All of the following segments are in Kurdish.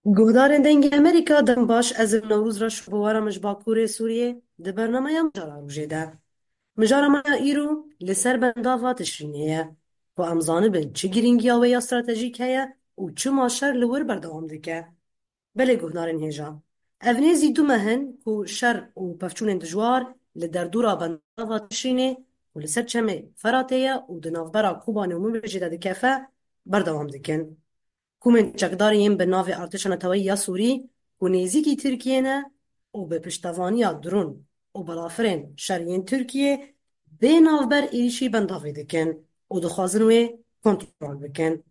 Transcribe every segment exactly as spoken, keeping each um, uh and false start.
Guhdarên Dengê Amerîka, dem baş, ez im Newroz Reş û bi we re me ji Bakurê Sûriyê di bernameya Mijara Rojê de. Mijara me ya îro li ser bendava Tişrînê ye, ku em zanibin çi girîngiya wê ya stratejîk heye û çima şer li wir berdewam dike. Belê guhdarên hêja, ev nêzî du meh in ku şer û pevçûnên dijwar li derdora bendava Tişrînê ku li ser çemê Feratê ye û di navbera Kobanê û Minbicê de dikefe, berdewam dikin. Komên çekdarên yên bi navê Artêşa Neteweyî ya Sûrî ku nêzîkî Tirkiyê ne û bi piştevaniya dron û balafirên şer yên Tirkiyê bê navber êrîşî bendavê dikin û dixwazin wê kontrol bikin.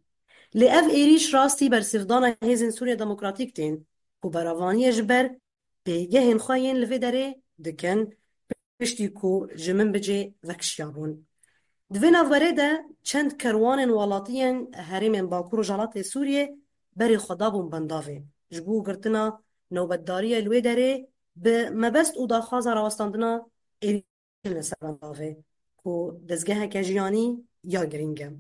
Lê ev êrîş rastî bersivdana hêzên Sûriya Demokratîk tên ku berevaniyê ji ber pêgehên xwe yên li vê derê dikin, piştî ku ji Minbicê vekişiyabûn. Di vê navberê de çend kerwanên welatiyên herêmên Bakur Rojhelatê Sûriyê berê xwe dabûn bendavê ji bo girtina nobetdariya li wê derê bi mebest û daxwaza rawestandina êrîşên li ser bendavê ku dezgeheke jiyanî ya girîng e.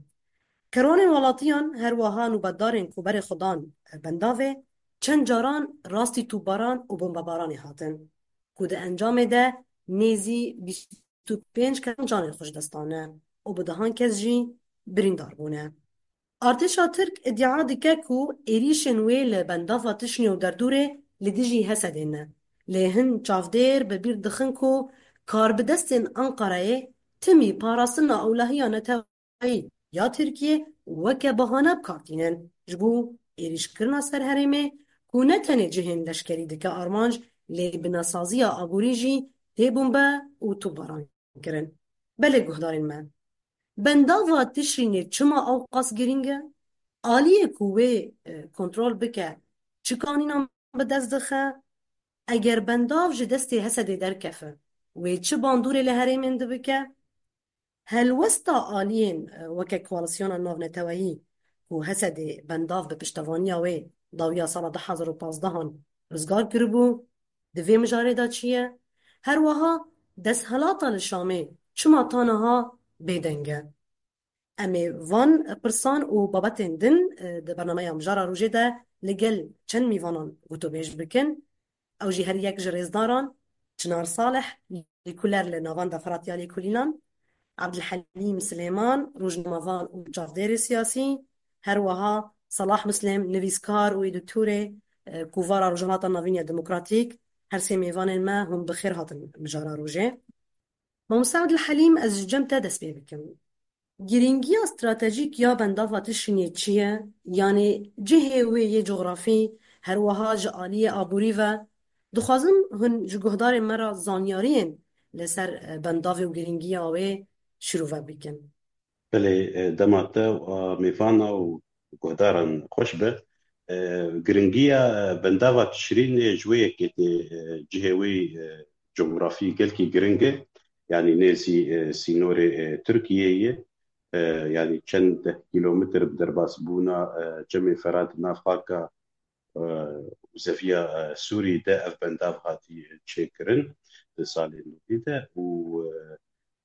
Kerwanên welatiyan her wiha nûbetdarên ku berê xwe dan bendavê çend caran rastî topbaran û bombebaranê hatin ku di encamê de nêzî bîst û pênc kes canê xwe ji dest dane û bi dehan kes jî birîndar bûne. Artêşa Tirk îdia dike ku êrîşên wê li bendava Tişnê û derdorê li dijî Hesedê ne. Lê hin çavdêr bi bîr dixin ku karbidestên Enqereyê timî parastina ewlehiya neteweyî ya Tirkiyê weke bahane bi kar tînin ji bo êrîşkirina ser herêmê ku ne tenê cihên leşkerî dike armanc, lê binasaziya aborî jî tê bombe û topbaran kirin. Belê guhdarên me, bendava Tişrînê çima ewqas girîng e? Aliyê ku wê, e, kontrol bike çi kanînan bi dest dixe? Eger bendav ji destê Hesedê derkefe, wê çi bandorê li herêmên di bike? Helwesta aliyên, e, weke koalîsyona navneteweyî ku Hesedê bendav bi piştevaniya wê dawiya sala du hazar û pazdehan rizgar kiribû, di vê mijarê de çi ye? Her wiha desthilata li Şamê çima ta niha bêdeng e? Em ê van pirsan û babetên din, e, di bernameya Mijara Rojê de li gel çend mîvanan gotûbêj bikin. Ew jî her yek ji rêzdaran, Çinar Salih, lîkuler li navenda Firatya Lêkolînan, Abdulhelîm Silêman, rojnamevan û çavdêrê siyasî, her wiha Salah Muslim, nivîskar û edîtorê, e, Kovara Rojhilata Navîn ya Demokratîk, her sê mêvanên me hûn bi xêr hatin Mijara Rojê. Mamoste Abdulhelîm, ez ji cem te dest pê bikim. Girîngiya stratejîk ya bendava Tişrînê çi ye? Yanî cihê wê yê cografî, her wiha ji aliyê aborî ve. Dixwazim hûn ji guhdarên me re zanyariyên li ser, e, bendavê û girîngiya wê şirove bikin. Belê, e, dema te û a mêvana û guhdaran xweş be. E, giringiya, e, bendava Tişrînê ji wê yekê tê, e, cihê wê, e, cografî gelkî giring e. Yanî nêzî, e, sînorê, e, Tirkiyeyê ye. E, yanî çend deh kîlometr bi derbasbûna, e, çemê Ferat di nav xaka, e, û zeviya, e, Sûrî de ev bendav hatî çêkirin di salên nodî de û,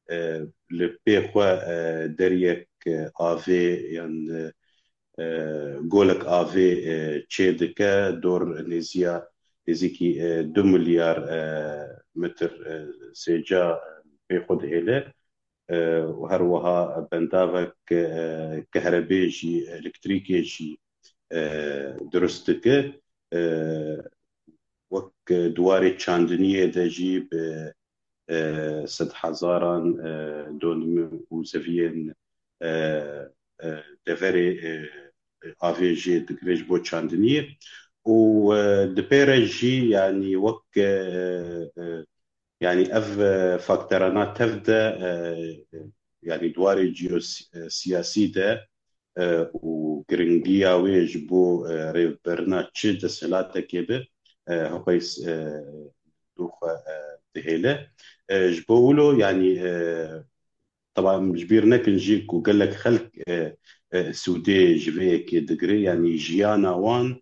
e, e, li pê xwe, e, deriyek, e, avê yan, e, e, golek avê, e, çê dike, dor nêziya, nêzîkî, e, du milyar, e, metr, e, sêca, e, pê xwe dihêle. E, û her wiha bendavek, e, kehrebê jî, elektrîkê jî, e, dirust dike. E, wek di warê çandiniyê de jî bi, e, sedhezaran, e, donimê û zeviyên, e, e, deverê, e, avê jê digire ji bo çandiniyê. Û, e, di pê re jî, yanî wek, e, e, yanî ev, e, fakterana tev de, e, yanî di warê ciyosiyasî de, e, û giringiya wê ji bo, e, rêvebirina çi desthilatekê be, e, heqeys, e, dû xwe, e, dihêle. E, ji bo wilo, yanî, e, teba em ji bîr nekin jî ku gelek xelk, e, e, sûdê ji vê yekê digire, yanî jiyana wan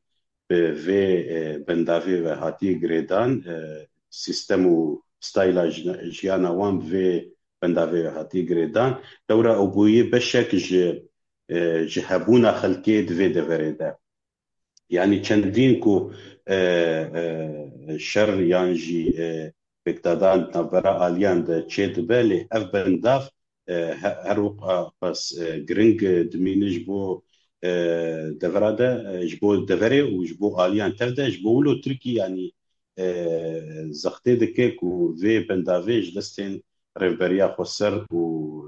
bi vê, e, bendavê ve hatiye girêdan, e, sîstem û stayla jina-, jiyana wan bi vê bendavê ve hatiye girêdan. Lewra ew bûye beşek ji, e, ji hebûna xelkê di vê deverê de. Yanî çendîn ku e, e, şer yan jî e, pêkdadan navbera aliyan de çêdibe, lê ev bendav e, he- her wiqas e, giring e, dimîne ji bo e, devera de, e, ji bo deverê û ji bo aliyan tev de, ji bo wilo Tirkî yanî e, zextê dike ku vê bendavê ji destên Rêveberiya Xweser û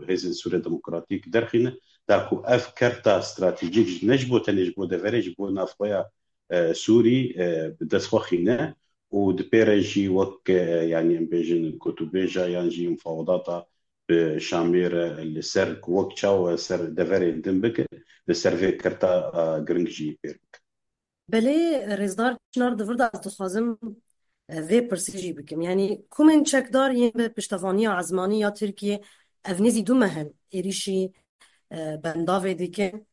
Hêzên Sûriya Demokratîk derxîne, da ku ev kerta stratejîk ne ji bo tenê ji bo deverê, ji bo navxweya e, Sûrî e, bi dest xwe xîne û di pê re jî wek e, yanî em bêjin gotûbêja yan jî mufawedata bi Şamê re li ser ku wek çawa ser deverên din bike, li ser vê kerta e, giring jî pêr bike. Belê, Rêzdar Çinar, di vir de ez dixwazim e, vê pirsî jî bikim. Yanî komên çekdar yên bi piştevaniya ezmanî ya Tirkiyê ev nêzî du meh in êrîşî e, bendavê dikin.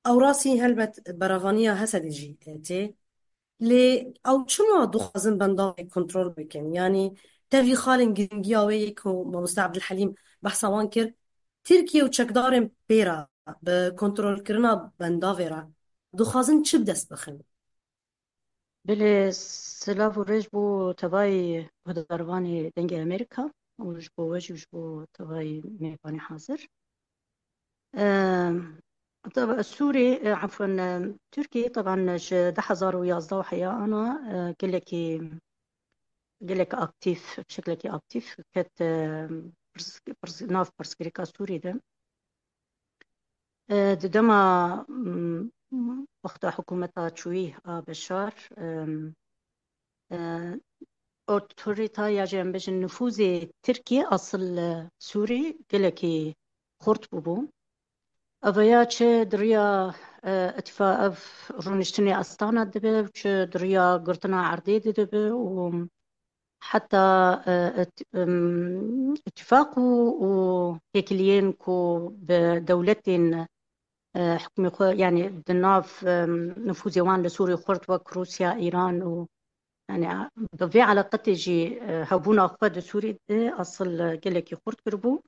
Ew rastî helbet berevaniya Hesedê jî e, tê. Lê ew çima dixwazin bendavê kontrol bikin? Yanî tevî xalên giringiya wê yê ku Mamoste Ebdulhelîm behsa wan kir, Tirkiye û çekdarên pê re bi kontrolkirina bendavê re dixwazin çi bi dest bixin? Belê, silav û rêz bo tevayî guhdarvanê Dengê Amerîka û ji bo we jî û ji bo tevayî mêvanê hazir. Em, teba-, Sûrî, e, efwen, e, Tirkî, teban ji du hezar û yazdeh û heya ana, e, gelekî, gelek aktîf, bi şeklekî aktîf ket, e, pirs-, pirs-, nav pirsgirêka Sûrî de. E, di dema, mm, wexta hikûmeta çûyî a Beşar, em, e, otorîta ya jî em bêjin nifûzê Tirkiyê asil, e, Sûrî gelekî xurt bûbû. Ev ya çi di riya, e, îtifa-, ev rûniştinê Astana dibe, çi di riya girtina erdê de dibe û heta, e, ît-, em, îtifaq û, û têkiliyên ku bi dewletên, e, hikûmê xwe, yanî di nav, em, nifûzê wan li Sûrî xurt wek Rûsya, Îran û, yanî bi vê eleqetê jî, e, hebûna xwe di Sûrî de asil, e, gelekî xurt kiribû.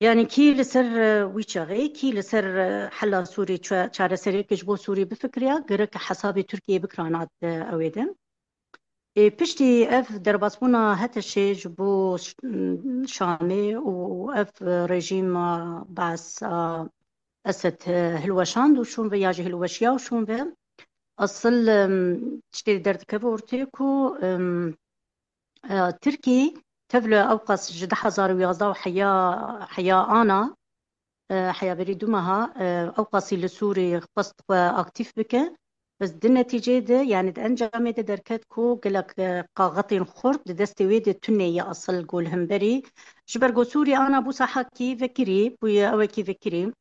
Yanî kî li ser, e, wî çaxê, kî li ser, e, hela Sûrî ça-, çareseriyeke ji bo Sûrî bifikiriya, gerek hesabê Tirkiyeyê bikira nav, e, ewê de. Ê, piştî ev derbasbûna HTŞê ji bo Ş-, Şamê û ev rejîma Baas a Esed, e, hilweşand û şûn ve ya jî hilweşiya û şûn ve, asil, em, tiştê derdikeve ortê ku, em, e, Tirkî tevle ewqas ji du hezar û yazdeh û heya, heya ana, e, heya berî du meha, e, ewqasî li Sûrî xwest xwe aktîf bike. Bes di netîceyê de, yanî di encamê de derket ku gelek, e, qaxetên xurt di destê wê de tune ye asil ku li hemberî. Ji ber ku Sûrî ana bû sahekî vekirî, bûye ewekî vekirî.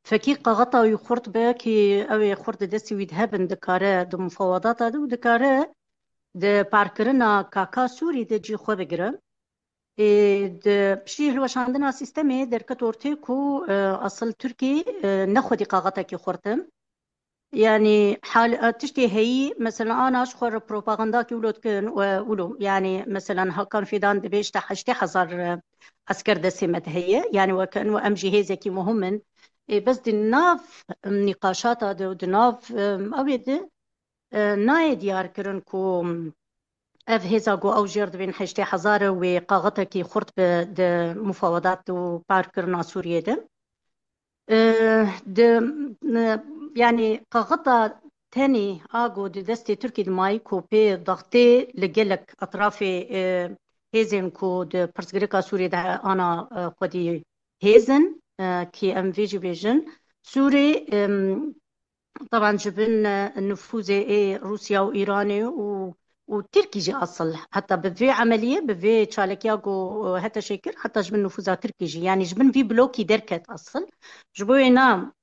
Fekî qaxeta wî xurt be, kî ew ê xurt di destê wî de hebin, dikare di mufawedata de û dikare di parkirina K K Sûrî de cî xwe bigire. Ê, di piştî hilweşandina sîstemê derket ortê ku, e, asil Tirkî, e, ne xwedî qaxetekî xurt e. Yanî hal, e, tiştê heyî, mesela ana ji xwe re propagandakî wilo dikin, e, wilo. Yanî mesela Hakan Fidan dibê işte heştê hezar, e, esker destê me de heye. Yanî weke eno em jî hêzekî muhim in. Ê, bes di nav, em, nîqaşata de û di nav, em, ew ê de, e, nayê diyar kirin ku ev hêza ku ew jêr dibên heştê hezar e wê qaxetekî xurt be di mufawedat û parkirina Sûriyê de. E, di, e, yanî qaxeta tenê a ku di destê Tirkî de mayî ku pê daxtê li gelek etrafê, e, hêzên ku di pirsgirêka Sûriyê de ana, e, xwedî hêz in, e, kî em vê jî bêjin. Sûrî, em, Teban ji bin, e, nifûzê ê Rûsya û Îranê û, û Tirkî jî asil. Heta bi vê emeliyê, bi vê çalekiya ku, e, HTŞê kir, heta ji bin nifûza Tirkî jî. Yanî ji bin vî blokî derket asil. Ji bo wê na,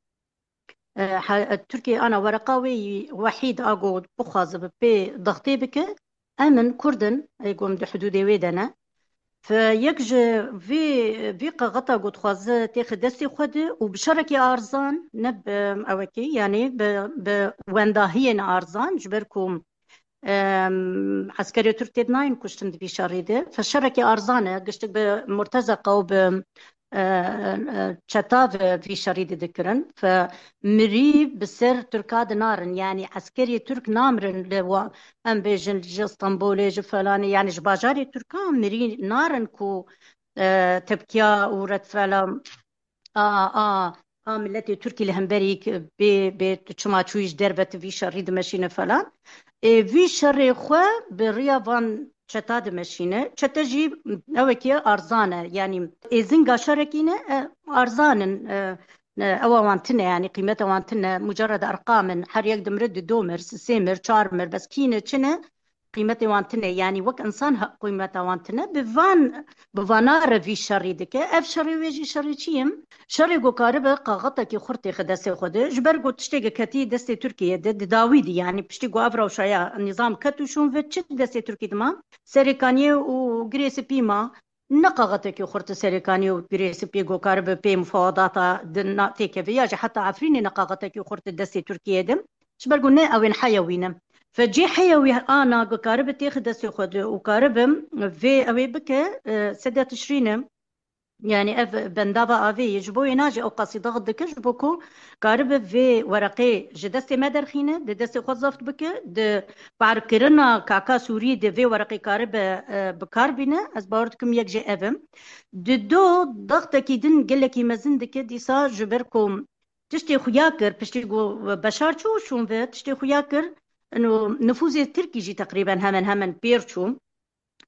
e, he-, e, Tirkî ana wereqa wê yî wehîd a ku bixwaze bi pê daxtê bike, em in, Kurd in, ê ku em di hidûdê wê de ne. Fe yek ji vî, vî qaxeta ku dixwaze têxe destê xwe de û bi şerekî arzan, ne bi ewekî, yanî bi, bi wendahiyên arzan, ji ber ku, em, eskerê Tirk tê nayên kuştin di vî şerî de. Fe şerekî arzan e, giştik bi Murtezeqa û bi e, e, çeta ve vî şerî de dikirin. Fe mirî bi ser Tirka dinarin, yanî eskerê Tirk namirin li wa, em bêjin ji Stenbolê, ji felanê, yanî ji bajarê Tirka mirî narin ku, e, tepkiya û redfela a, a, a miletê Tirkî li hemberî bê, bê tu çima çûyî ji derve tu vî şerî dimeşîne falan. Ê, vî şerê xwe bi riya van çeta dimeşîne. Çete jî ewekî arzan e. Yanî êzinga şerekî ne, e, arzan in, e, e, ewa wan tine, yanî qîmeta wan tine, mucerred erqam in. Her yek dimire, du do mir, sisê mir, çar mir, bes kî ne, çi ne, qîmetê wan tine. Yanî wek insan he-, qîmeta wan tine. Bi van, bi vana re vî şerî dike. Ev şerê wê jî şerê çi ye? Şerê ku karibe kaxetekî xurt têxe destê xwe de. Ji ber ku tiştê ku ketî destê Tirkiyê de, di dawî de, yanî piştî ku ev rewşa ya nîzam ket û şûn ve, çi destê Tirkî dima? Serêkaniyê û girê spî ma. Ne kaxetekî xurt Serêkaniyê û girê spî ku karibe pê mufawedata di na-, têkeve, ya jî heta Efrînê ne kaxetekî xurt di destê Tirkiyê de. Ji ber ku ne ew ên heya wî ne. Fe cê heya wî ana ku karibe têxe destê xwe de û karibe vê ew ê bike, e, sede Tişrîn e. Yanî ev bendava avê ye. Ji bo wê na jî ew qasî daxit dike, ji bo ku karibe vê wereqê ji destê me derxîne, di destê xwe zeft bike, di parkirina kaka Sûrî de vê wereqê karibe, e, bi kar bîne. Ez bawer dikim yek jê ev e. Di do daxtekî din gelekî mezin dike dîsa, ji ber ku tiştê xuya kir, piştî ku Beşar çû şûn ve, tiştê xuya kir, ino nifûzê Tirkî jî teqrîben hemen hemen pêr çû.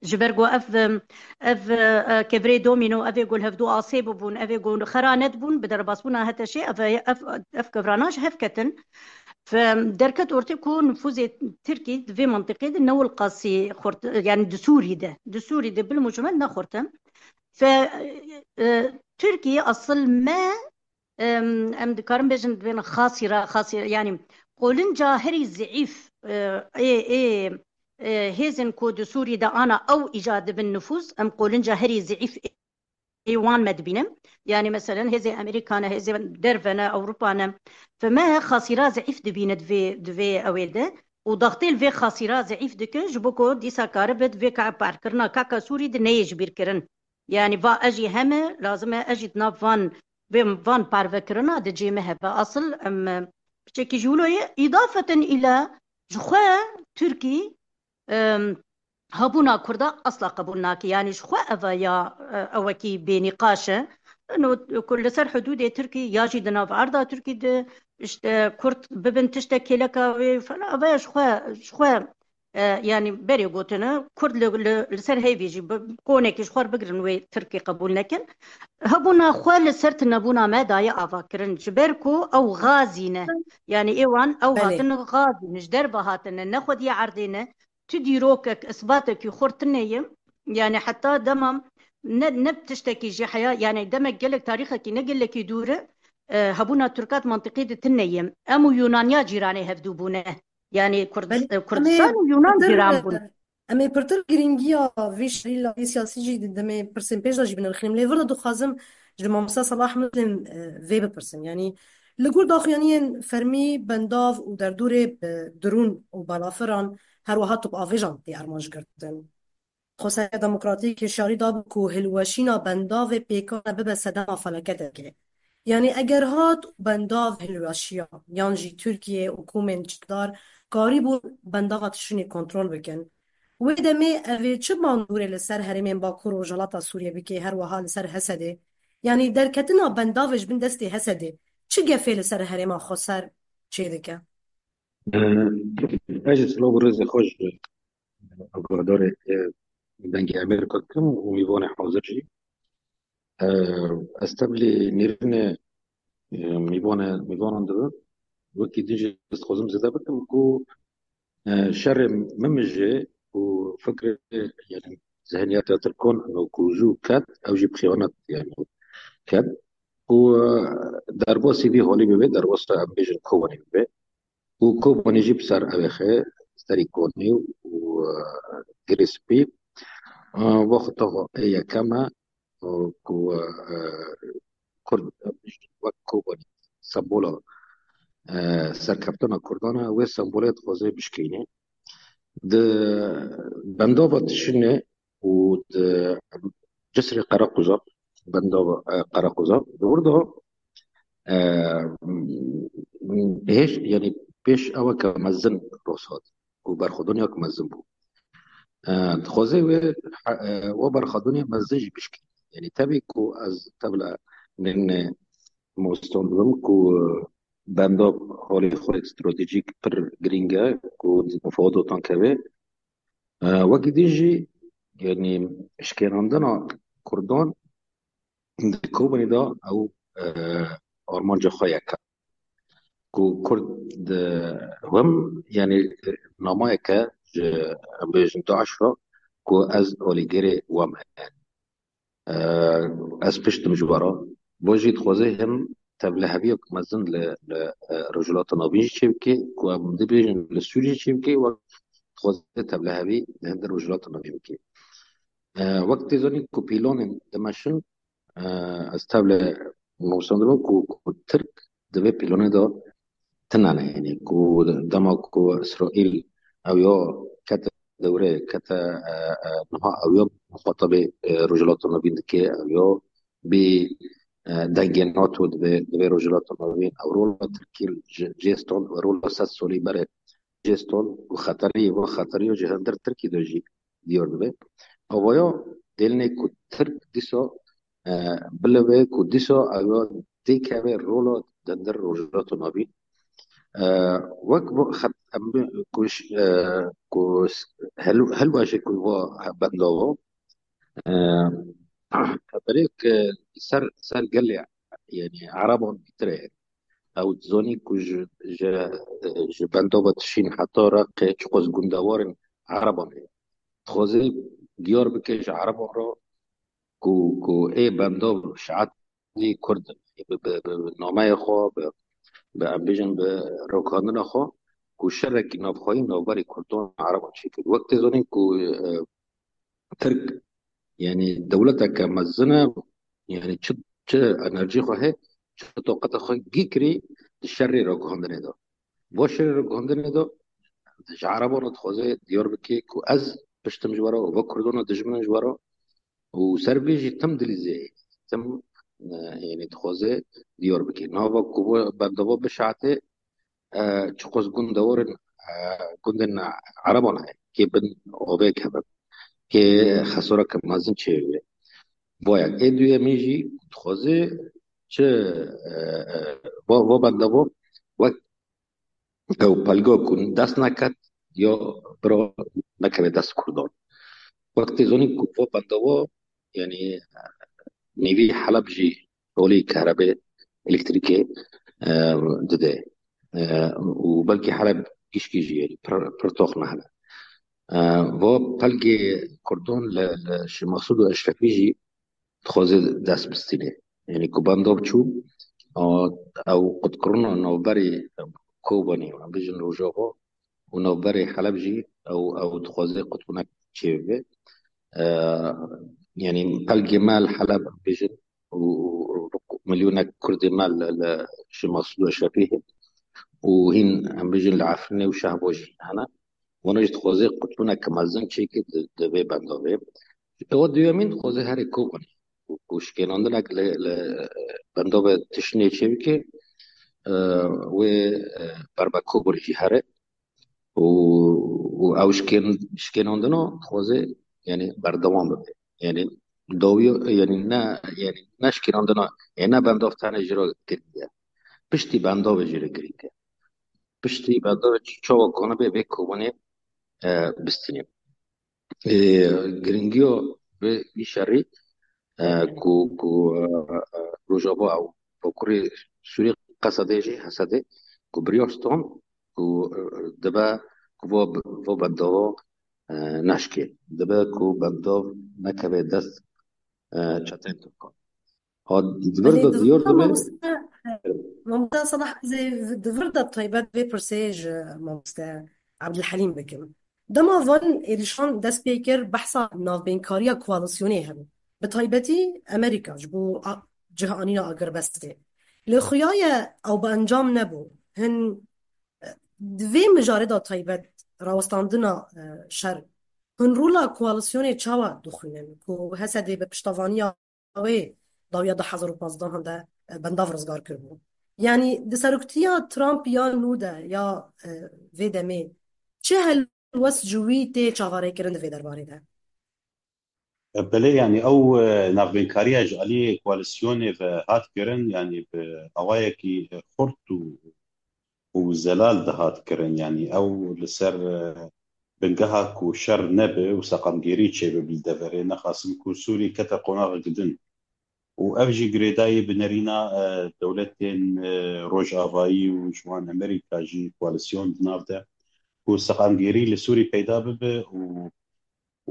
Ji ber ku ev, ev, e, kevirê domîno, ev ê ku li hevdû asê bibûn, ev ê ku xera nedibûn, bi derbasbûna HTŞê, ev, ev, ev kevirana ji hev ketin. Fe derket ortê ku nifûzê Tirkî di vê mentiqê de ne wilqasî xurt, yanî di Sûrî de, di Sûrî de bil mucmel ne xurt e. Fe, e, Tirkî asil me, em, em dikarin bêjin, dibên xasîra, xasîra, yanî qolinca herî zeîf, e, ê, ê, e, hêzên ku di Sûrî de ana ew îca dibin nifûz, em qolinca herî zeîf ê wan me dibînin. Yanî meselen hêzê Amerîka ne, hêzê derve ne, Ewropa ne. Fe me xasîra zeîf dibîne di vê, di vê ewê de. Û daxtê li vê xasîra zeîf dike, ji bo ku dîsa karibe di vê ka-, parkirina kaka Sûrî de neyê ji bîr kirin. Yanî va ez jî heme, lazim e ez jî di nav van, vê van parvekirina di cê me hebe. Asil em, e, piçekî ji wilo ye. Îdafeten île ji xwe Tirkî, em, hebûna Kurda asla qebûl nake. Yanî ji xwe eva ya, e, ewekî bênîqaş e. Ino ku li ser hudûdê Tirkî ya jî di nav erda Tirkî de, işte, Kurd bibin tiştek kêleka wê falan, eva ya ji xwe, ji xwe, e, yanî berê gotine, Kurd li, li, li ser heyvê jî bi, konekî ji xwe re bigirin wê Tirkî qebûl nekin. Hebûna xwe li ser tunebûna me daye avakirin. Ji ber ku ew gazî ne. Yanî ê wan ew Belê. Hatine gazî ne, ji derve hatine, ne xwediyê erdê ne. Tu dîrokek, isbatekî xurt tune ye. Yanî heta dema ne, ne tiştekî jî heya, yanî demek gelek tarîxekî ne gelekî dûr e, e, hebûna Tirka di mentiqê de tune ye. Em û Yunaniya cîranê hevdû bûne. Yanî Kurd-, Belê, e, em ê Kurdistan û Yunan pirtir, cîran bûn. Em ê pirtir girîngiya vê şerî layê siyasî jî di demê pirsên pêş de jî binirxînim. Lê vir de dixwazim ji mamosta Salah Muslim, e, vê bipirsim. Yanî li gor daxuyaniyên fermî bendav û derdorê bi dirûn û balafiran, her wiha topavêjan tê armancgirtin. Xweseriya Demokratîk hişyarî dabû ku hilweşîna bendavê pêkan e bibe sedema felaketekê. Yanî eger hat û bendav hilweşiya, yan jî Tirkiye û komên çekdar karîbûn bendava Tişrînê kontrol bikin, wê demê ev ê çi bandorê li ser herêmên Bakur û Rojhilata Sûriyê bike, her wiha li ser Hesedê? Yanî derketina bendavê ji bin destê Hesedê çi gefê li ser herêma xweser çêdike? Ez jî silav û rêzê xwe ji agahdarê, e, Dengê Amerîka dikim û mîvanê hazir jî. E, ez tevlî nêrînê, e, mîvanê, mîvanan dibim. Wekî din jî ez dixwazim zêde bikim ku, e, şerê min jî û fikrê, yani, zihniyeta Tirkan û ku zû ket, ew jî bi xeyanet, yani, ket. Û, e, derbasî vî halî bibe, derbasa em bêjin Kobanê bibe. Û Kobanê jî bi ser ew ê xe, serî Konê û, e, Girê Spî. E, wexta xwe ê yekem e, e, ku, e, Kurd, e, wek Kobanê sembola, e, serkeftina Kurdan e, wê sembolê dixwaze bişkîne. Di bendava Tişrînê û di Cisrê Qereqoza, bendava, e, Qereqoza. Li wir de, e, hêş, yanî pêş ew ke mezin rûsat û berxwedaniya ke mezin bû. E, dixwaze wê, e, we berxwedaniya mezin jî bişkî. Yanî tevî ku ez tevle min, e, moston dibim ku bendab holê xwe stratejîk pir girîng e ku di mufawedatan keve. E, wekî din jî, yanî şikênandina Kurdan di Kobanê de ew, e, armanca xwe yek e. Ku Kurd di wem, yanî namayeke ji, em bêjin, DAIŞ re ku ez alîgirê we me. E, ez pişt im ji we re. Bo jî dixwaze hem tevliheviyek mezin li, li, e, Rojhilata Navîn jî çêbike, ku em dibêjin li Sûriyê çêbike, wek dixwaze tevlihevî li hinder Rojhilata Navîn bike. E, wek tê zanîn ku pîlanên dimeşin, e, ez tevle nûsandibû ku, ku Tirk di vê pîlanê de tune ne, yanî ku dema ku Îsraîl ew ya kete dewre, kete, e, e, niha ew ya muxatabê, e, Rojhilata Navîn dike, ew ya bê, e, dengê NATO divê, divê Rojhilata Navîn, ew rola Tirkî ji cê stan, ew rola sed salî berê cê stan û xeterî, va xeterî ji hinder Tirkî de jî diyar dibe. Avaya dêlinê ku Tirk dîsa, e, bilive ku dîsa ew dê keve rola di hinder Rojhilata Navîn. E, wek bu xet-, em bi-, ku ş-, e, ku s-, hel-, helwaşê ku va bendava, e, berê ke ser, ser gelê, yanî Ereban bîtir e. Ew dizanî ku ji, ji, ji bendava dişîn heta Reqê çiqas gundewarên Ereban heye. Dixwaze diyar bike ji Ereban re ku, ku ê bendav şiatî Kurd in. Bi, bi, bi nameyê xwe, bi, bi, em bêjin, bi rokandina xwe, ku şerekî navxweyî navberî Kurdan Ereban çêkir. Wek tê zanîn ku, e, Tirk, yanî dewleteke mezin e, yanî çi, çi enerjî xwe heye, çi toqeta xwe gî kirî di şerê ragihandinê de. Bo şerê ragihandinê de ji Ereban re dixwaze diyar bike ku ez piştim ji we re, ve Kurdan re dijmin in ji we re û ser vê jî tim dilî zê, tim, e, yanî dixwaze diyar bike. Nava ku ve bendava bişate, e, çiqas gundewarên, e, gundên Ereban heye, kê bin avê kevin, kê xesareke mezin çêbe. Bo yek. Ê duyemîn jî dixwaze çi, e, e, va, va bendava wek ew pelga ku dest neket ya bira nekeve dest Kurdan. Wek tê zanîn ku va bendava, yanî, e, nêvî Heleb jî holê kahrebê, elektrîkê, e, dide. E, û belkî Heleb gişkî jî, yanî pir, pir tox nehne. E, va pelgê Kurdan li, li Şêx Mesûd û Eşrefî jî dixwaze dest bistîne. Yanî ku bendov çû, a, ew qutkirina navberê Kobanê, em bêjin Rojava, û navberê Heleb jî ew, ew dixwaze qutbûnek çêbibe. E, yanî pelgê me li Heleb, em bêjin, û, û, û milyonek Kurdê me li, li Şêx Mesûd û Eşrefî hene. Û hîn, em bêjin, li Efrînê û Şehba jî hene. Wana jî dixwaze qutbûnek mezin çêke di, di vê bendavê. Ewa duyemîn dixwaze herê Kobanê. Ku, ku şikênandinek li, li bendavê tiştînê çêbike, e, wê, e, berbe Kobanê jî here. û, û ew şikên-, şikênandina dixwaze, yanî berdewam bibe. Yanî dawiya, yanî ne, yanî ne şikênandina, yanî ne bendav tenê jî re girîng e. Piştî bendavê jî re girîng e. Piştî bendavê çi-, çawa konibe vê Kobanê, e, bistîne. Ê, girîngiya vê, vî şerî, e, ku, ku, e, e, Rojava û Bakurê Sûriyê, Qesedê jî, Hesedê, ku biryar stand, ku, e, dibe ku va, va bendava, e, neşkê. Dibe ku bendav nekeve dest, e, çeteyên Tirkan. Ha, di vir Belê, de di diyar vir de dibe. Mamoste, mamoste Salah, ez ê di vir de taybet vê pirsê ji mamoste Abdulhelîm bikim. Dema van êrişan dest pê kir, behsa navbeynkariya koalîsyonê hebû. Bi taybetî Amerîka ji bo a-, cihanîna agirbestê. Lê xuya ye ew bi encam nebû. Hin, e, di vê mijarê de taybet rawestandina, e, şer, hin rola koalîsyonê çawa dixwînin ku Hesedê bi piştevaniya wê dawiya du hezar û panzdeh de, e, bendav rizgar kiribû. Yanî di seroktiya Trump ya nû de ya, e, vê demê çi helwest ji wî tê çavarêkirin di vê derbarê de? Belê, yanî ew, e, navbênkariya ji aliyê koalîsyonê ve hat kirin, yanî bi awayekî, e, xurt û, û zelal dihat kirin. Yanî ew li ser, e, bingeha ku şer nebe û seqamgêrî çêbibe li deverê, nexasim ku Sûrî kete qonaxek din. Û ev jî girêdayî bi nerîna, e, dewletên, e, rojavayî û ji wan Amerîka jî koalîsyon di nav de ku seqamgêrî li Sûrî peyda bibe û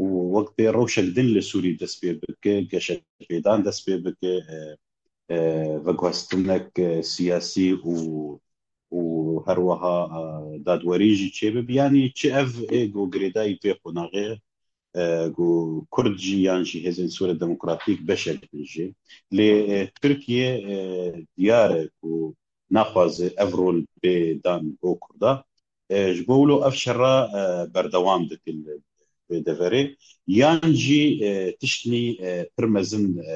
û wek bê rewşek din li Sûrî dest pê bike, geşepêdan dest pê bike, e, e, veguhestinek, e, siyasî û, û her wiha, e, dadwerî jî çêbibe. Yanî çi ev ê ku girêdayî vê qonaxê, e, ku Kurd jî yan jî hêzên Sûriya Demokratîk beşek bin jê. Lê, e, Tirkiye, e, diyar e ku naxwaze ev rol bê dan bo Kurda. E, ji bo wilo ev şerra, e, berdewam dikin li vê deverê. Yan jî, e, tiştnî, e, pir mezin, e,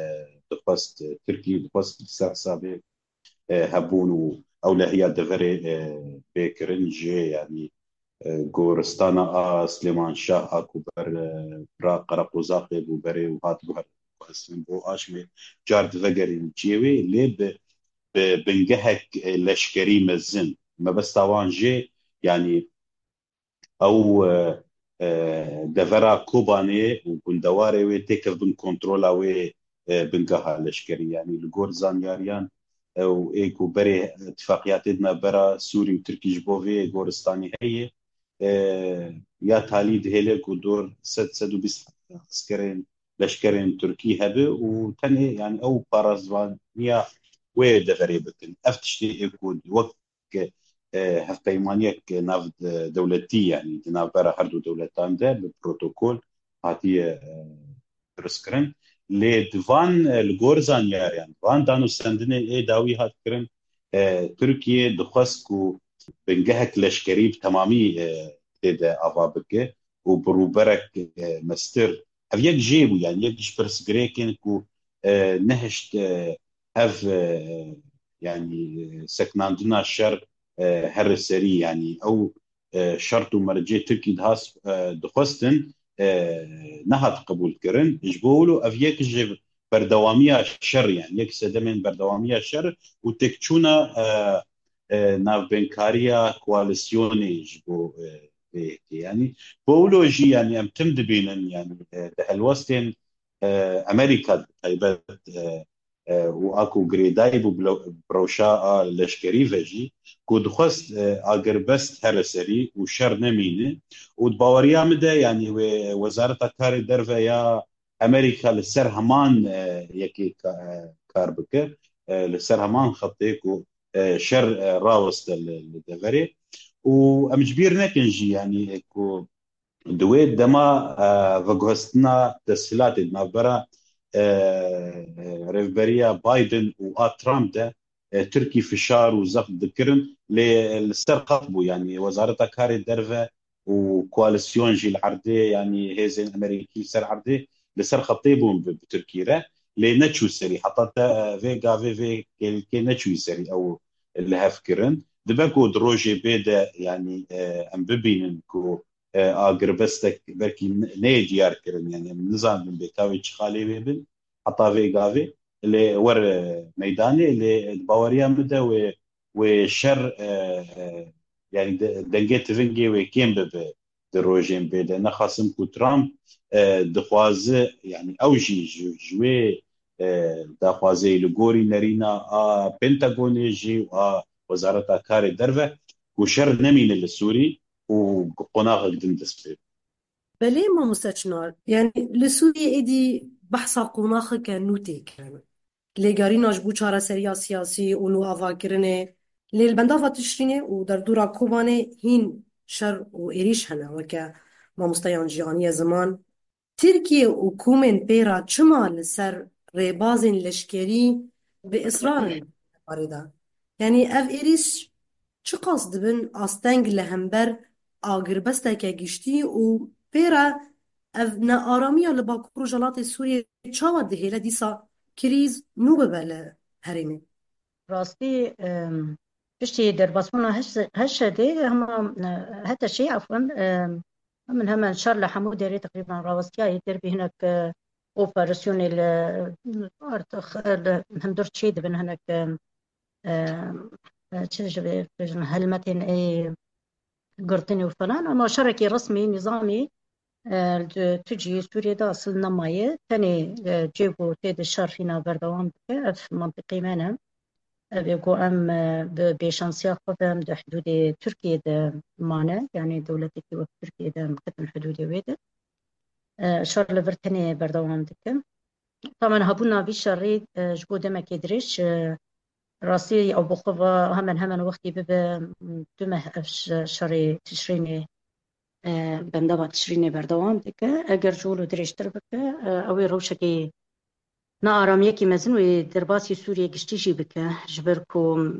dixwest, e, Tirkî dixwest li ser hesabê, e, hebûn û ewlehiya deverê, e, bê kirin jê, yanî, e, goristana a Silêman Şah a ku ber, e, bira Qereqozaqê bû berê û hat guhertin bo aşmê car divegerîn cihê wê, lê bi, bi bingehek, e, leşkerî mezin. Mebesta wan jê, yanî ew, e, e, devera Kobanê û gundewarê wê têkevbin kontrola wê, e, bingeha leşkerî. Yanî li gor zanyariyan, ew ê ku berê tifaqiyatê di navbera Sûrî û Tirkî ji bo vê goristanî heye, e, ya talî dihêle ku dor sed, sed û bîst eskerên, leşkerên Tirkî hebe û tenê, yanî ew parastvaniya wê deverê bikin. Ev tiştê ê ku wek, e, hevpeymaniyek nav de-, dewletî, yanî di navbera her du dewletan de bi protokol hatiye, e, dirustkirin. Lê di van, e, li gor zanyariyan, van danûstendinê ê dawî hat kirin, e, Tirkiye dixwest ku bingehek leşkerî bi temamî, e, tê de ava bike û bi rûberek, e, mestir. Ev yek jê bû, yanî yek ji pirsgirêkên ku, e, nehişt, e, ev, e, yanî, e, seknandina şer, e, here serî, yanî ew, e, şert û mercê Tirkî dihas, e, dixwestin, e, nehat qebûlkirin. Ji bo wilo ev yek ji berdewamiya şer, yanî yek sedemên berdewamiya şer û têkçûna, e, e, navbênkariya koalîsyonê ji bo, e, vê yekê. Yanî bo wilo jî, yanî em tim dibînin, yanî, e, di helwestên, e, Amerîka bi taybet, e, e, û a ku girêdayî bû bi lo-, bi rewşa a leşkerî ve jî, ku dixwest, e, agirbest here serî û şer nemîne. Û di baweriya min de, yanî wê Wezareta Karê Derve ya Amerîka li ser heman, e, yekê ka-, e, kar bike, e, li ser heman xetê ku, e, şer, e, raweste li, li deverê. Û em ji bîr nekin jî, yanî, e, ku di wê dema, e, veguhestina teshilatê di navbera, e, e, rêvberiya Biden û a Trump de, e, Tirkî fişar û zext dikirin, lê li ser xet bû, yanî Wezareta Karê Derve û koalîsyon jî li erdê, yanî hêzên Amerîkî li ser erdê li ser xetê bûn bi, bi Tirkî re, lê neçû serî. Heta te, e, vê gavê vê kêlkê neçûyî serî ew li hev kirin. Dibe ku di rojê bê de, yanî, e, em bibînin ku, e, agirbestek belkî ne-, neyê diyar kirin, yanî em nizanibin bê ka wê çi xalê wê bin heta vê gavê, lê wer, e, meydanê, lê di baweriya min de wê, wê şer, e, e, yanî de-, dengê tivingê wê kêm bibe di rojên bê de. Nexasim ku Trump, e, dixwaze, yanî ew jî ji, ji wê, e, daxwazeyê li gorî nerîna a Pentagonê jî û a Wezareta Karê Derve ku şer nemîne li Sûrî û qonaxek din dest pê. Belê mamoste Çinar, yanî li Sûriyê êdî behsa qonaxeke nû tê kirin. Lêgerîna ji bo çareseriya siyasî û nû avakirinê, lê li bendava Tişrînê û derdora Kobanê hîn şer û êrîş hene, weke mamosteyan jî aniye ziman. Tirkiye û komên pê re çima li ser rêbazên leşkerî bi israr in li barê de? Yanî ev êrîş çiqas dibin asteng li hember agirbesteke giştî û pê re ev nearamiya li Bakur Rojhilatê Sûriyê çawa dihêle dîsa krîz nû bibe li herêmê? Rastî, em, piştî derbasbûna H-, H D D hema, e, H T Ş, efwen, em, hemin hemen şer li hemû derê teqrîben rawestiyayê, dervî hinek, e, operasyonê li, artık, e, li hundir çê dibin, hinek, e, e, e, çi ji vê bêjin, helmetên ê girtinê û falan, ama şerekî resmî, nîzamî, e, di tu cihê Sûriyê de asil nemaye. Tenê, e, cihê ku tê de şer hîna berdewam dike, ev mentiqê me ne. Ev ê ku em, e, bi bêşansiya xwe ve em di hidûdê Tirkiyê de mane, yanî dewletekî wek Tirkiyê de em ketin hidûdê wê de. E, şer li vir tenê berdewam dike. Tamen hebûna vî şerî, e, ji bo demekê dirêj, e, rastî ew bi xwe ve hemen hemen wextî bibe, du meh ev ş-, şerê Tişrînê, e, bendava Tişrînê berdewam dike. Eger ji wilo dirêjtir bike, e, ew ê rewşekê nearamiyekî mezin wê derbasî Sûriyê giştî jî bike. Ji ber ku,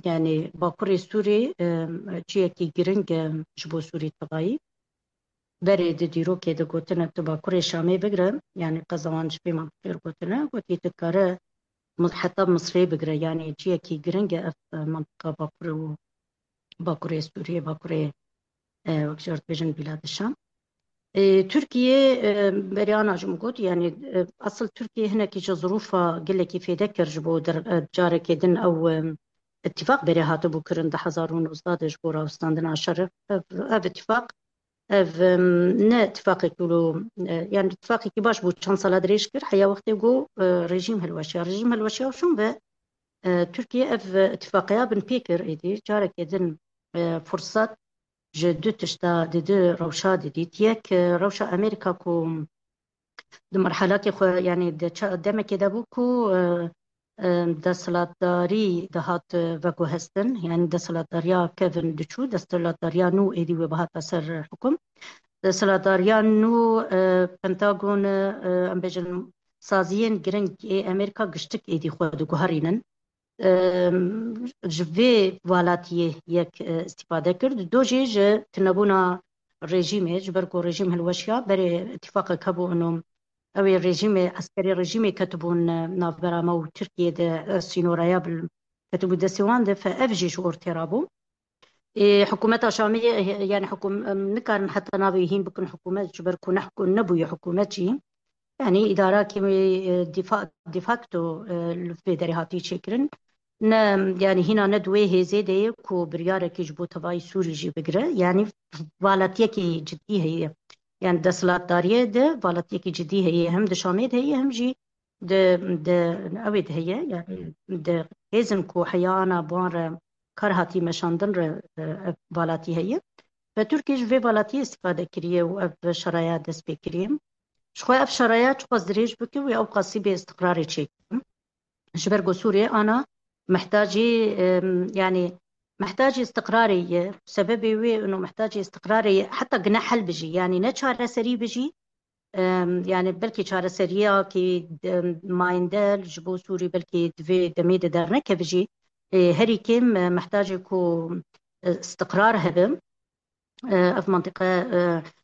yanî, Bakurê Sûrî, e, cihekî giring e ji bo Sûrî tevayî. Berê di dîrokê de gotine, tu Bakurê Şamê bigire, yanî qeza wan ji vê mentiqê re gotine, gotî tu kare mi-, heta Misrê bigire, yanî cihekî giring e ev, e, mentiqa Bakurê û Bakurê Sûriyê, Bakurê, e, wek jî dibêjin Bîlad Şam. E, Tirkiye, e, berê ana jî min got, yanî, e, asil Tirkiye hinekî ji zirûfa gelekî fêde kir ji bo der-, e, carekê din ew, e, îtîfaq berê hatibû kirin di hezar û nozdeh de ji bo rawestandina şerê. Ev, ev îtîfaq Ev, em, ne îtîfaqekî wilo, e, yanî îtîfaqekî baş bû, çend sala dirêj kir, heya wextê ku, e, rejîm hilweşiya. Rejîm hilweşiya û şûn ve, e, Tirkiye ev, e, îtîfaqiya binpê kir êdî. Carekê din, e, firsat ji du tişta di du rewşa didît. Yek, e, rewşa Amerîka ku di merhelakê xwe, yanî di ça-, demekê de bû ku, e, e, desthilatdarî dihat, e, veguhestin, yanî desthilatdariya kevin diçû, desthilatdariya nû êdî wê bihata ser hukum. Desthilatdariya nû, e, Pentagon, e, em bêjin saziyên giring ê Amerîka giştik êdî xwe diguherînin. Em, ji vê valatiyê yek, e, îstîfade kir. Dido jî ji tunebûna rejîmê, ji ber ku rejîm hilweşiya, berê îtîfaqek hebû, ino ew ê rejîmê, eskerê rejîmê ketibûn, e, navbera me û Tirkiyê de, e, sînoraya bil-, ketibû destê wan de, fe ev jî ji ortê rabû. Ê, hikûmeta Şamê, e, yanî hikûm-, em nikarin heta navê hîn bikin hikûmet, ji ber ku ne hikû-, nebûye hikûmet jî. Yanî îdarakî, e, dîfa-, de facto, e, li vê derê hatî çêkirin. Ne, yanî hîna ne di wê hêzê de ye ku biryarekî ji bo tevayî Sûrî jî bigire. Yanî valatiyekî cidî heye. Yanî desthilatdariyê de valatiyekî cidî heye. Hem di Şamê de heye, hem jî di, di, ew ê de heye. Yanî di hêzin ku heya ana bi wan re kar hatî meşandin re, e, ev valatî heye. Ve Tirkiye ji vê valatiyê îstîfade kiriye û ev şeraya dest pê kiriye. Ji xwe ev şeraya çiqas dirêj bike wê ewqasî bê îstiqrarê çêke. Ji ber ku Sûriye ana mihtacî, em, yanî mihtacî îstiqrarê ye. Sebebê wê ino mihtacî îstiqrarê ye, heta gine hel bijî, yanî ne çareserî bijî, em, yanî belkî çareseriyakî, em, mayînde ji bo Sûrî belkî di vê demê de dernekeve jî, ê, herî kêm, e, mihtacê ku, e, îstiqrar hebe. E, ev mentiqe, e,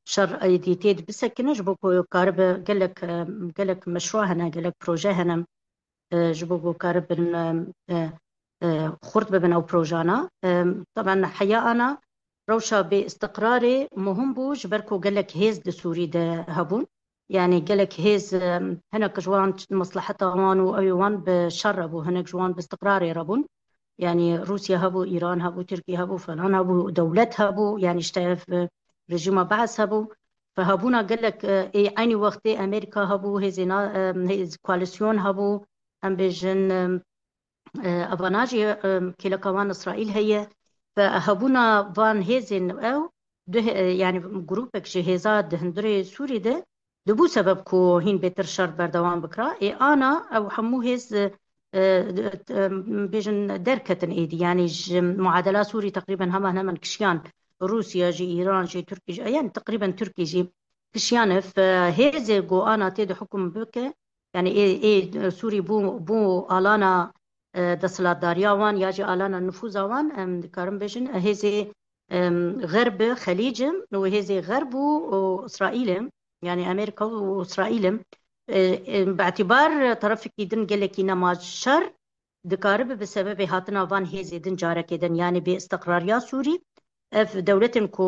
şer êdî tê de bisekine, ji bo ku karibe gelek, e, gelek meşrû hene, gelek proje hene, e, ji bo ku karibin, e, e, e, xurt bibin ew projana. E, taban heya ana rewşa bê îstiqrarê muhim bû, ji ber ku gelek hêz di Sûrî de hebûn. Yanî gelek hêz, e, hinek ji wan mesleheta wan û ew ê wan bi şer re bû, hinek ji wan bi îstiqrarê re bûn. Yanî Rûsya hebû, Îran hebû, Tirkiye hebû, falan hebû, dewlet hebû, yanî işte ev, e, rejîma Bees hebû. Fe hebûna gelek, e, ê eynî wextê Amerîka hebû, hêzê na-, e, hêz koalîsyon hebû, em bêjin, e, e, evana jî, e, kêleka wan Îsraîl heye. Fe hebûna van hêzên ew, du hê-, e, yanî grûpek ji hêza di hundirê Sûrî de dibû sebeb ku hîn bêtir şer berdewam bikira. Ê ana ew hemû hêz, e, e, bêjin derketin êdî. Yanî ji muadela Sûrî teqrîben heman heman kişiyan Rûsya jî, Îran jî, Tirkî jî, yanî teqrîben Tirkî jî kişiyane. Fe hêzê ku ana tê de hukum bike, yanî ê, ê Sûrî bû, bû alana, e, desthilatdariya wan ya jî alana nifûza wan, em dikarin bêjin, e, hêzê, em, Xerb, Xelîc û hêzê Xerb û, û Îsraîl e, yanî Amerîka û Îsraîl e. E, e, bi îtîbar terefekî din gelekî nema şer dikaribe bi sebebê hatina van hêzê din carekê din, yanî bêîstiqrariya Sûrî. Ev dewletên ku,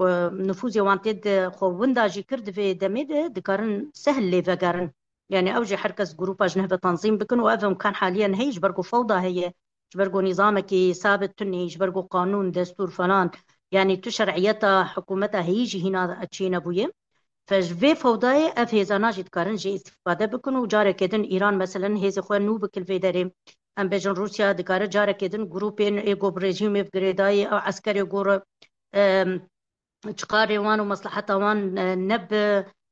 e, nifûzê wan tê de xwe winda jî kir, di vê demê de dikarin sehl lê vegerin. Yanî ew jî her kes grûpa ji neh ve tanzîm bikin û ev imkan haliyen heye, ji ber ku fewda heye, ji ber ku nîzamekî sabit tune, ji ber ku qanûn, destûr falan, yanî tu şer'iyeta hikûmeta heyî jî hîna çênebûye. Fe ji vê fewdayê ev hêzana jî dikarin jê îstîfade bikin û carekê din Îran, meselen, hêzê xwe nû bikin vê derê. Em bêjin Rûsya dikare carekê din grûpên ê ku bi rejîmê bi girêdayî ew eskerê ku re, em, çiqarê wan û mesleheta wan, e, ne bi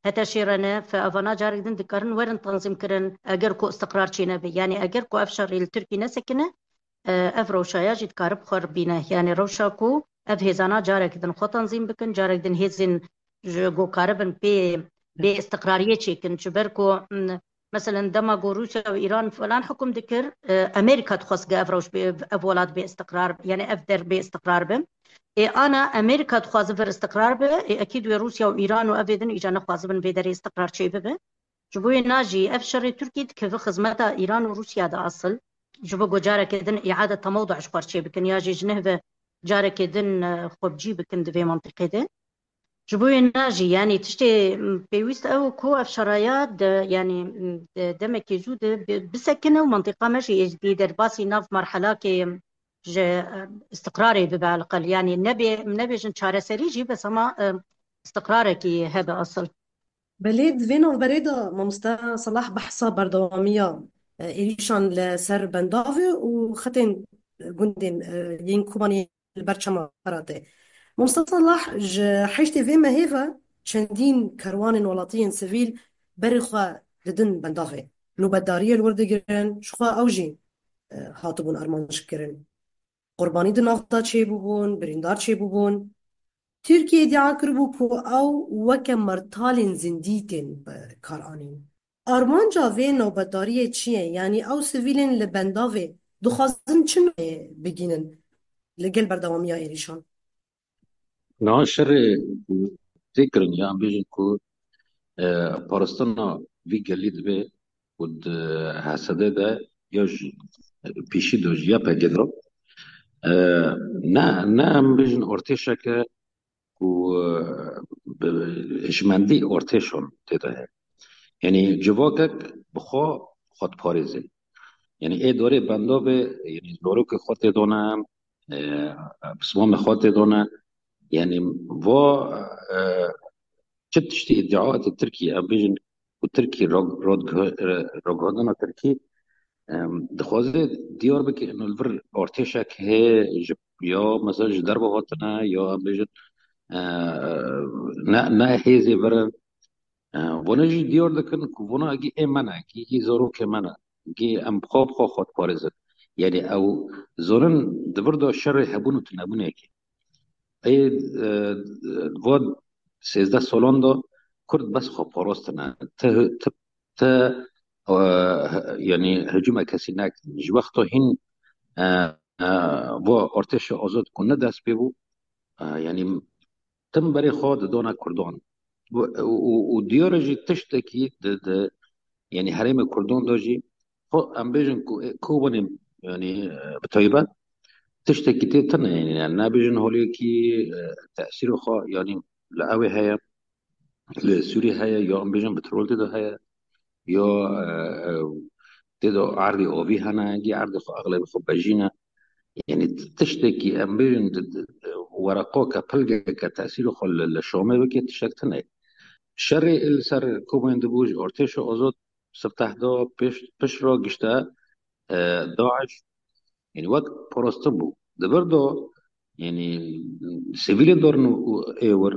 heteşê re ne, fe evana carek din dikarin werin tanzîm kirin, eger ku istiqrar çênebe. Yanî eger ku ev şerî li Tirkî nesekine, e, ev rewşa ya jî dikare bi xwe re bîne. Yanî rewşa ku ev hêzana carek din xwe tanzîm bikin, carek din hêzên ji ku karibin pê bêîstiqrariyê çêkin. Ji ber ku, m, meselen, dema ku Rûsya û Îran falan hukum dikir, e, Amerîka dixwest ke ev rewş bê, ev welat bêîstiqrar, yanî ev der bêîstiqrar be. Ê ana Amerîka dixwaze vir îstiqrar be, ê ekîd wê Rûsya û Îran û evê din îca nexwazibin vê derê îstiqrar çêbibe. Ji bo wê na jî ev şerê Tirkî dikeve xizmeta Îran û Rûsya de asil. Ji bo ku careke din îade temewdu ji xwe re çêbikin ya jî ji neh ve careke din, e, xwe bi cî bikin di vê mentiqê de. Ji bo wê na jî, yanî tiştê, m, pêwîst ew ku ev şeraya di, yanî, m, di demekê zû de bi-, bisekine û mentiqa me jî êdî derbasî nav merhelakê ji, e, îstiqrarê bibe elqel. Yanî nebê, nebêjin çareserî jî, bes hema, e, îstiqrarekî hebe asil. Belê, di vê navberê de mamoste Selah behsa berdewamiya, e, êrîşan li ser bendavê û xetên gundên, e, yên Kobaniyê li ber çema Feratê. Mamoste Selah, ji heştê vê mehê ve çendîn kerwanên welatiyên sivîl berê xwe didin bendavê. Nûbetdariyê li wir digirin, ji xwe ew jî, e, hatibûn armanc kirin. Qurbanî di nav de çêbûbûn, birîndar çêbûbûn. Tirkiye îdia kiribû ku ew weke mertalên zindî tên bi kar anîn. Armanca vê nobetdariyê çi ye? Yanî ew sivîlên li bendavê dixwazin çi navê bigînin li gel berdewamiya êrîşan? Niha şerê tê kirin, ya em bêjin ku, e, parastina vî gelî dibe ku di H S D de ya ji pêşî de ji Y P G de, e, ne, ne em bêjin artêşeke ku, e, bi hişmendî artêşan tê de heye. Yanî civakek bi xwe xwe diparêze. Yanî ê dorê bendavê, yanî zarokê xwe tê de ne, e, pismamê xwe tê de ne. Yanî va, e, çi tiştî îdiatê Tirkî, em bêjin ku Tirkî rag-, rag-, e, ragihandina Tirkî, em, dixwaze diyar bike ino li vir artêşek heye ji, ya mesela ji derve hatine, ya em bêjin, e, ne, ne hêzê vir in. E, vana jî diyar dikin ku vana gî ê me ne, gî, gî zarokê me ne, gî em bi xwe, bi xwe xwe diparêzin. Yanî ew zonin di vir de şerê hebûn û tunebûnekê. Ê, e, va sêzdeh salan de Kurd bes xwe parastine. Ti, ti, ti, e, yanî hicûme kesî nekin. Ji wexta hîn, e, e, va artêşa azad ku ne dest pê bû, e, yanî tim berê xwe didane Kurdan. Û, û, û, û diyar e jî tiştekî di, di, yanî herêmê Kurdan de jî xwe em bêjin ku, e, Kobanê, yanî, e, bi taybet tiştekî tê tune, yanî, yanî nabêjin holiyekî, e, tesîrê xwe, yanî li ewê heye, li Sûrî heye, ya em bêjin petrol tê de heye, ya, e, e, tê de erdê avî hene, gî erdê xwe exlebê xwe bejîne. Yanî tiştekî em bêjin di, di, di wereqoke, pilgeke tesîrê xwe li, li Şamê bike tiştek tune. Şerê li ser Kobanê dibû ji artêşa azad siftehdar pêş, pişt re gişte, e, DAIŞ, yanî wek parastin bû. Di vir de, yanî sivîlên dorin û ê wir,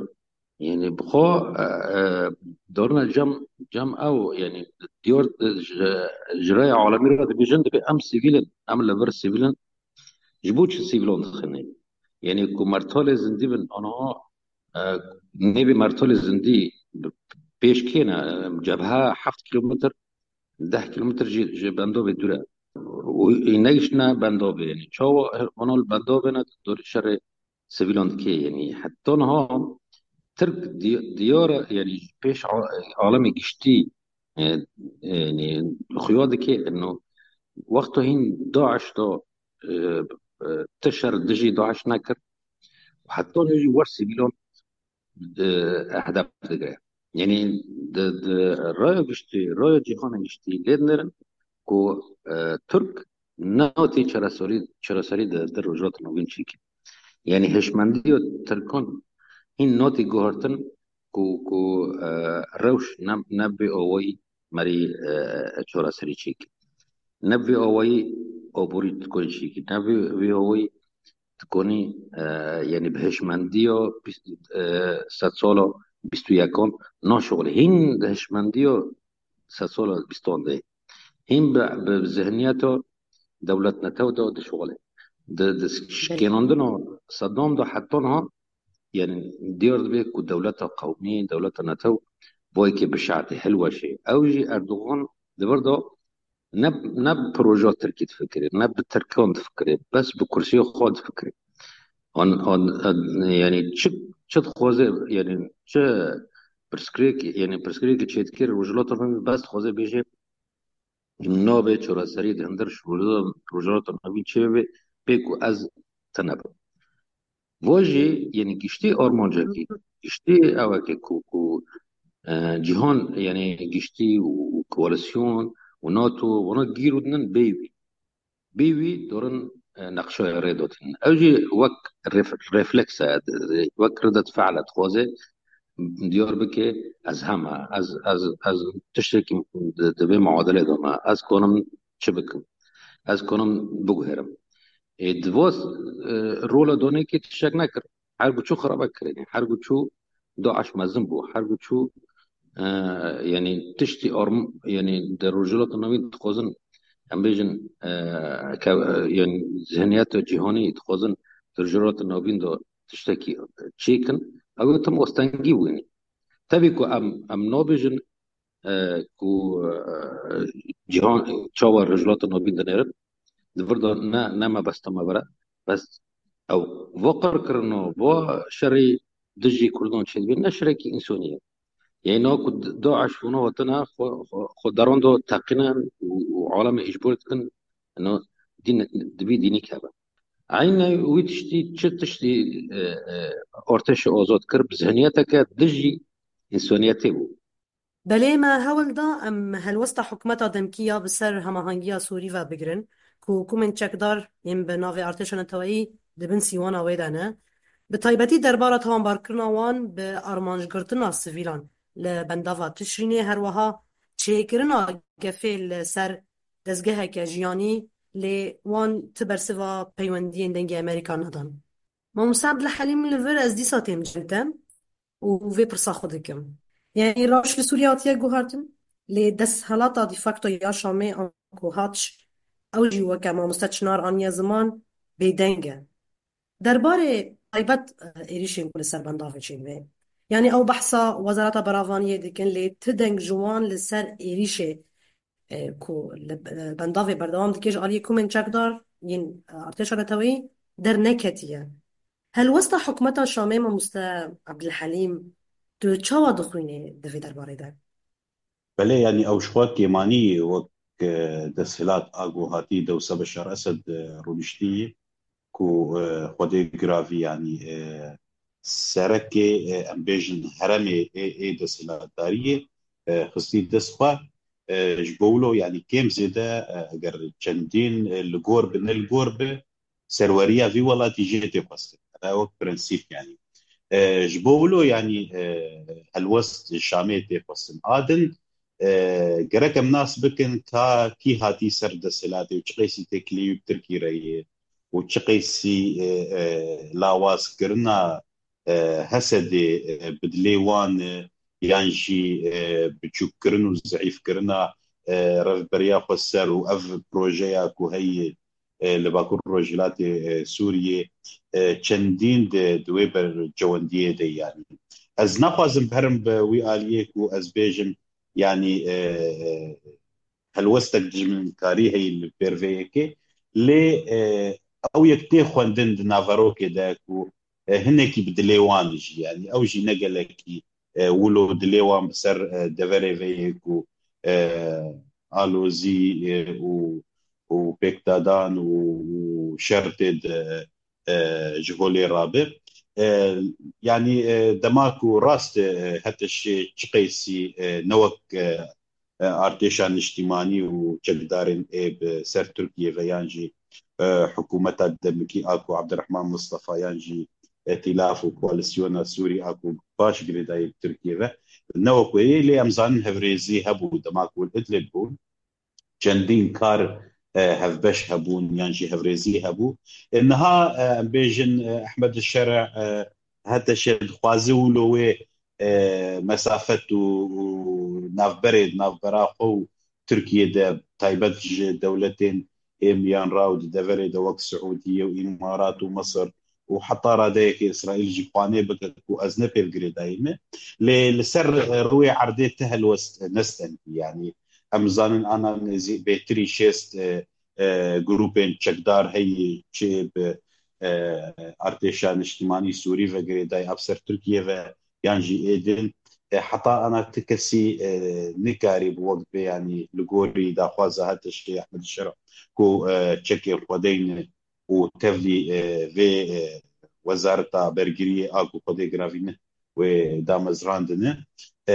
yanî bi xwe, e, e, dorine cem, cem ew, yanî diyar, e, ji, ji raya alemî re dibêjin, dibê em sivîl in, em li vir sivîl in. Ji bo çi sivîlan dixine? Yanî ku mertalê zindî bin, aniha, e, nêvê mertalê zindî pêş kê ne? Cebhe heft kilometr, deh kilometr ji, ji bendavê dûr e. Û ê negiştine bendavê, yanî çawa vana li bendavê ne, dorê şerê sivîlan dike, yanî heta niha Tirk di-, diyar e, yanî pêş a-, alemê giştî E, e, yanî xuya dike ino wexto hîn DAIŞ do, e, e, ti şer dijî DAIŞ nekir. Heta nû jî wer sivîlan, e, hedef digire. Yanî di, di raya giştî, raya cîhana giştî lê dinêrin ku, e, Tirk notî çareserî, çareserî di, di Rojhilata Navîn çêkî. Yanî hişmendiya Tirkan hîn notî guhertin ku, ku, e, rewş ne, ne bi awayî merî, e, çareserî çêkî. Ne bi awayî aborî dikonî çêkî. Ne bi, bi awayî dikonî, e, yanî bi hişmendiya bîst, e, sedsala bîst û yekan naşixulê. Hîn di hişmendiya sedsala bîstan de. Hîn bi, bi zihniyeta dewlet netew de dişixulê. Di, di şikênandina Seddam de heta niha, yanî diyar dibe ku dewleta qewmî, dewleta netew, bo yekê bişatê, hilweşê. Ew jî Erdogan di vir de ne, ne bi projeya Tirkî difikirê, ne bi Tirkan difikirê, bes bi kursiyê xwe difikirê. An, an, an, yanî çi, çi dixwaze, yanî çi pirsgirêk, yanî pirsgirêkê çêdikir, Rojhilata Navîn bes dixwaze bêje, nabe çareserî di hundir Rojhilata, Rojhilata Navîn çê bibe, pê ku ez tune bim. Vo jî, yanî giştî armancekî, giştî ewekê ku, ku, e, cîhan, yanî giştî û, û koalîsyon û NATO, wana gîr û dinin bêyî wî. Bêyî wî dorin, e, neqşeyê rê dotin. Ew jî wek ref-, refleks e, wek riddet fe'l e, dixwaze diyar bike, ez hema, ez, ez, ez tiştekî di, di vê muadilê de me, ez konim çi bikim, ez konim biguherim. Ê, di vo, e, rola donekî tiştek nekir. Her ku çû xirabe kirinê. Her ku çû DAIŞ mezin bû. Her ku çû, e, yanî tiştî arm-, yanî di Rojhilata Navîn dixwazin, em bêjin, e, ke-, e, yanî zihniyeta cîhanî dixwazin di Rojhilata Navîn de tiştekî çêkin. Ew tim astengî bûyî. Tevî ku em, em nabêjin, e, ku, e, cîhan çawa Rojhilata Navîn dinêrin, di vir de ne, ne mebesta me vir e. Bes ew va qirkirina, va şerê dijî Kurdan çêdibe, ne şerekî însonî ye. Yanî na ku DAIŞ û na hatine xwe, xwe, xwe deran de teqînin û, û alemê îcbor dikin, na dîn, di vî dînî keve. Eynî wî tiştî, çi tiştî, e, e, artêşa azad kir, bi zihniyeteke dijî însoniyetê bû. Belê, me hewl da em helwesta hikûmeta demkî ya bi ser hemahengiya Sûrî ve bigirin, ku hikûmên çekdar yên bi navê artêşa neteweyî di bin sîwana wê de ne. Bi taybetî derbara tawanbarkirina wan bi armancgirtina sivîlan li bendava Tişrînê, her wiha çêkirina gefê li ser dezgeheke jiyanî, lê wan ti bersiva peywendiyên Dengê Amerîka nedan. Mamoste Ebdulhelîm, li vir ez dîsa têm cem te û vê pirsa xwe dikim. Yanî rewş li Sûriye hatiye guhertin, lê desthilata de facto ya Şamê anku hat, ew jî weke mamoste Çinar aniye ziman, bêdeng e. Derbarê taybet, e, êrîşên ku li ser bendavê çêdibe. Yanî ew behsa Wezareta Beravaniyê dikin, lê ti deng ji wan li ser êrîşê, e, ku li, e, bendavê berdewam dike ji aliyê hikûmên çekdar yên, e, artêşa neteweyî derneketiye. Helwesta hikûmeta Şamê, mamoste Ebdulhelîm, tu çawa dixwînî di vê derbarê de? Belê, yanî ew ji xwe kêmanî wek, e, desthilat a ku hatî dewsa Beşar Esed, e, rûniştî, ku, e, xwedê giravî, yanî, e, serekê, e, em bêjin heremê ê, ê desthilatdariyê, e, xistî dest xwe, e, ji bo wilo, yanî kêm zêde, e, eger çendîn, e, li gor bi, ne li gor bi, serweriya vî welatî jê tê xwestin. Ev wek prensîp, yanî. E, ji bo wilo, yanî, e, helwest Şamê tê xwestin. A din, e, gerek em nas bikin ka kî hatî ser desthilatê û çi qeysî têkilî wî bi Tirkî re ye û çi qeysî, e, e, lawazkirina, e, Hesedê, e, bi dilê wan, e, yan jî, e, biçûkkirin û zeîfkirina, e, revberiya xweser û ev projeya ku heye, e, li Bakur Rojhilatê, e, Sûriyê, e, çendîn di, di wê bercewendiyê de, yanî. Ez naxwazim herim bi wî aliyê ku ez bêjim, yanî, e, e, helwestek dijminkarî heye li pêr vê yekê, lê, e, ew yek tê xwendin di naverokê de ku, e, hinekî bi dilê wan jî, yanî ew jî ne gelekî, e, wilo dilê wan bi ser, e, deverê vê yê ku, e, alozî, e, û, û pêkdadan û, û şer tê de, e, ji holê rabe. E, yanî, e, dema ku rast e, HTŞê çi qeysî, e, ne wek, e, e, artêşa niştîmanî û çekdarên ê bi ser Tirkiyê ve yan jî, e, hikûmeta demikî a ku Abdurrahman Mustafa yan jî Îtîlaf û Koalîsyona Sûrî a ku baş girêdayî bi Tirkiyê ve ne wek wê yê, lê em zanin hevrêzî hebû dema ku li Idlib bûn. Çendîn kar, e, hevbeş hebûn yan jî hevrêzî hebû. E, niha, e, em bêjin, e, Ehmed Şere, e, HTŞ dixwaze wilo wê, e, mesafet û, û navberê di navbera xwe û Tirkiyê de taybet ji dewletên ê miyanra û di deverê de wek Siûdiye û Îmarat û Misir û heta radeyekê Îsraîl jî xwanê bike ku ez ne pêv girêdayî me. Lê li ser, e, rûyê erdê ti helwest nestendî. Yanî em zanin ana nêzî bêtirî şêst, e, e, grûpên çekdar heyî çi bi, e, artêşa niştimanî Sûrî ve girêdayî a bi ser Tirkiye ve yan jî ê din, e, heta ana ti kesî, e, nikarî bi wek bê, yanî li gorî daxwaza HTŞê Ehmed Şera ku, e, çekê xwedeyne û tevlî, e, vê, e, wezareta bergiriyê a ku xwedê giravîne wê damezrandine. E,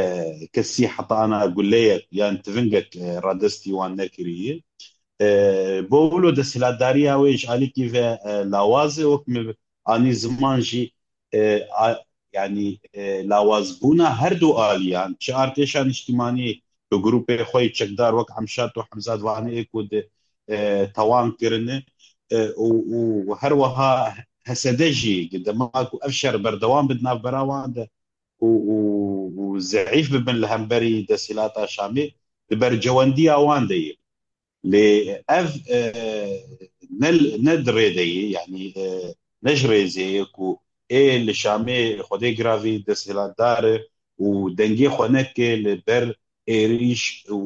kesî heta ana guleyek yan tivingek, e, radestî wan nekiriye. E, bo wilo desthilatdariya wê ji alîkî ve, e, lawaz e, wek min anî ziman jî, e, a, yanî, e, lawazbûna her du aliyan, çi artêşa niştimanî bi grûpê xwe yê çekdar wek Emşat û Hemzat Vanê ê ku di, e, tawan kirine, e, û, û her wiha H S D jî, dema ku ev şer berdewam bi di navbera wan de û, û, û zeîf bibin li hemberî desthilata Şamê, di bercewendiya wan de ye. Lê ev, e, ne, ne di rê de ye, yanî, e, ne ji rêzê ye ku ê li Şamê xwedê giravî desthilatdar e û dengê xwe neke li ber êrîş û,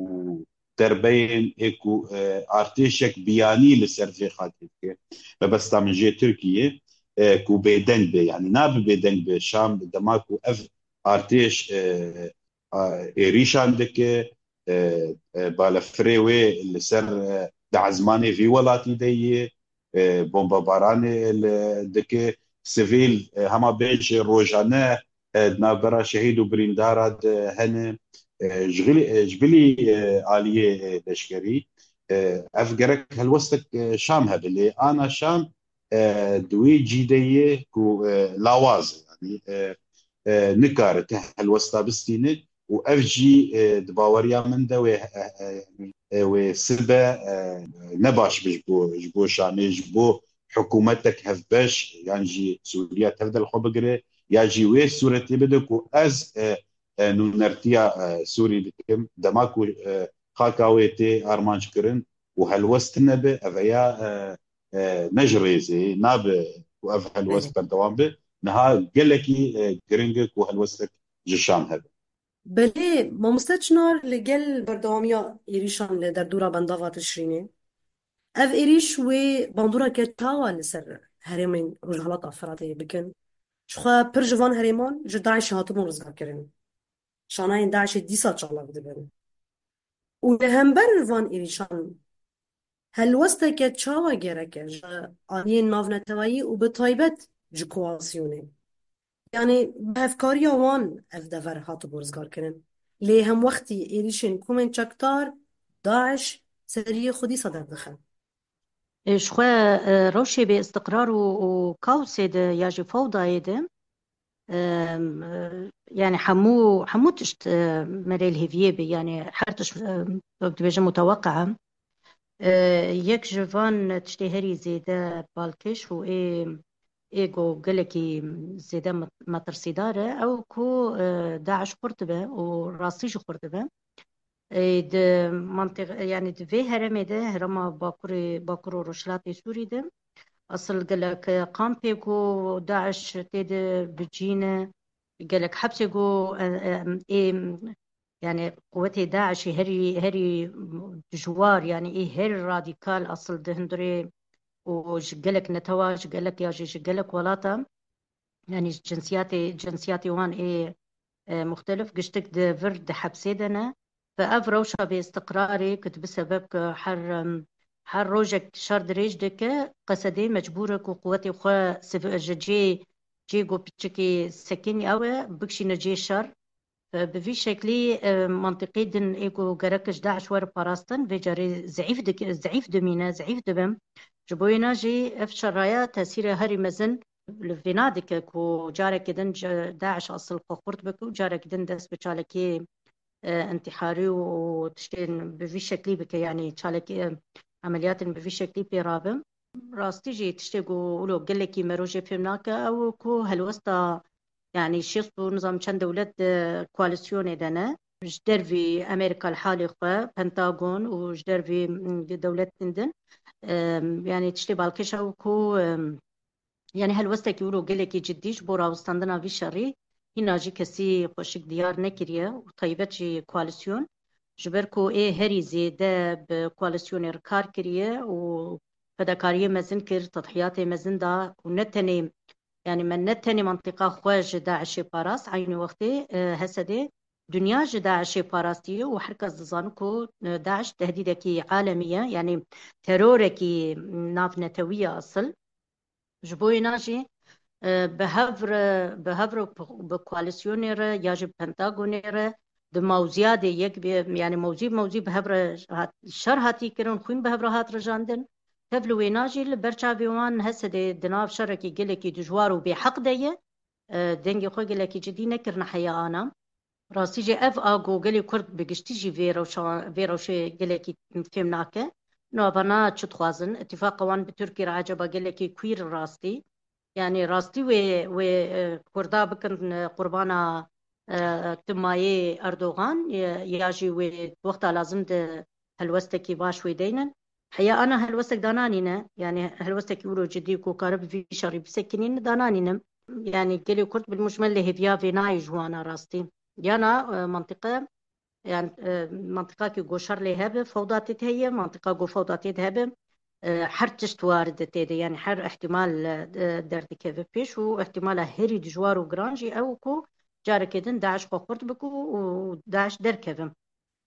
û derbeyên ê ku, e, artêşek biyanî li ser vê xakê dike. Mebesta min jê Tirkiye, e, ku bêdeng be, yanî nabe bêdeng be. Şam dema ku ev artêş, e, a, êrîşan dike, e, e, balefirê wê li ser, e, di ezmanê vî welatî de yê, e, bombebaranê li, dike, sivîl, e, hema bêje rojane, e, di navbera şehîd û birîndara de hene, e, ji xilî, e, ji bilî, e, aliyê, e, leşkerî, e, ev gerek helwestek, e, Şam hebe, lê ana Şam, e, di wê cî de ye ku, e, lawaz e, yanî, e, e, nikare ti helwesta bistîne û ev jî, e, di baweriya min de wê, e, e, e, wê sibe, e, ne baş be ji bo, ji bo Şamê, ji bo hikûmetek hevbeş, yan jî Sûriya tev de li xwe bigire, ya jî wê sûretê bide ku ez, e, e, nûnertiya, e, Sûrî dikim, dema ku, e, xaka wê tê armanc kirin û helwest tune be, ev ya, e, e, ne ji rêzê nabe ku ev helwest berdewam be. Niha gelekî, e, giring e ku helwestek ji Şam hebe. Belê, mamoste Çinar, li gel berdewamiya êrîşan li derdora bendava Tişrînê, ev êrîş wê bandoreke çawa li ser herêmên Rojhilata Firatê bikin? Jixwe pir ji van herêman ji DAIŞê hatibûn rizgarkirin. Şanayên DAIŞê dîsa çalak dibin. Û li hember van êrîşan helwesteke çawa gerek e ji aliyên navneteweyî û bi taybet ji koalîsyonê? Yanî bi hevkariya wan ev dever hatibû rizgarkirin. Lê hemwextî êrîşên komên çekdar, DAIŞ, seriyê xwe dîsa derdixe. E, ji xwe, e, rewşê bê îstiqrar û, û kaosê de ya jî fewdayê de, e, e, yanî hemû, hemû tişt, e, merê li hêviyê be, yanî her tişt, e, wek dibêjin muteweqe e. E, yek ji van tiştê herî zêde balkêş û ê, ê ku gelekî zêde met-, metirsîdar e, ew ku, e, DAIŞ xurt dibe û rastî jî xurt dibe. E, di mantiq-, yanî di vê herêmê de, herêma Bakurê, Bakur û Rojhilatê Sûrî de, asil gelek kampê ku DAIŞ tê de bicîne, gelek hepsê ku, e, e, ê, yanî quwetê DAIŞê herî, herî dijwar, yanî ê herî radîkal asil di hundirê û ji gelek netewa, ji gelek ya jî ji gelek welata, yanî ji cinsiyatê, cinsiyatê wan ê, e, muxtelif giştik di vir di hepsê de ne. Ve ev rewşa bêistiqrarê ku dibi sebeb ku her, em, her rojek şer dirêj dike, Qesedê mecbûr e ku quwetê xwe siv-, ji cê, cê ku piçikî sekinî ew e, bikişîne cê şer. Bi vî şeklî, e, mentiqê din ê ku gerek ji DAIŞ were parastin, vê carê zeîf dik-, zeîf dimîne, zeîf dibin. Ji bo wêna jî ev şeraya tesîrê herî mezin li vêna dike ku carekê din ji DAIŞ asil xwe xurt bike û carekê din dest bi çalakiyê, e, intîharî û tiştên bi vî şeklî bike, yanî çalakî, e, emeliyatên bi vî şeklî pê rabin. Rastî jî tiştê ku wilo gelekî me rojê fêm nake, ew ku helwesta, yanî şêst û nizam çend dewlet di koalîsyonê de ne. Ji dervî Amerîka li halê xwe, Pentagon û ji dervî, mm, dewletên din, em, yanî tiştê balkêş ew ku, em, yanî helwestekî wilo gelekî cidî ji bo rawestandina vî şerî hîna jî kesî xweşik diyar nekiriye û taybet jî koalîsyon. Ji ber ku ê herî zêde bi koalîsyonê re kar kiriye û fedakariyê mezin kir, tedhiyatê mezin da û ne tenê, yanî me ne tenê mentiqa xwe ji DAIŞê parast, eynî wextê, e, Hesedê dinya ji DAIŞê parastiye û her kes dizane ku, e, DAIŞ tehdîdekî alemî ye, yanî terorekî navnetewî ye asil. Ji bo wêna jî, e, bi hev re, bi hev re bi koalîsyonê re ya jî Pentagonê re di mewziya de yek bê, yanî mewzî mewzî bi hev re hat, şer hatî kirin, xwîn bi hev re hat rijandin. Tev li wêna jî li ber çavê wan Hesedê di nav şerekî gelekî dijwar û bêheq de ye. E, dengê xwe gelekî cidî nekirine heya ana. Rastî jî ev a ku gelê Kurd bi giştî jî vê rewşa, vê rewşê gelekî fêm nake. Navana çi dixwazin? Îtîfaqa wan bi Tirkî re eceba gelekî kwîr rastî? Yanî rastî wê, wê, e, Kurda bikin, e, qurbana, e, timayê Erdogan, e, ya jî wê wexta lazim di helwestekî baş wê deynin? Heya ana helwestek dananîne, yanî helwestekî wilo cidî ku kare bi vî şerî bisekinîne dananîne. Yanî gelê Kurd bil mucmel lê hêviya vê nayê ji wana rastî. Yana, e, mentiqe, yan, e, mentiqa ki go şer lê hebe, fewda tê de heye, mentiqa go fewda tê de hebe, e, her tişt warid e tê de, yanî her ihtimal, e, derdikeve pêş û ihtimala herî dijwar û giran jî ew ku carekê din DAIŞ xwe xurt bike û DAIŞ derkeve.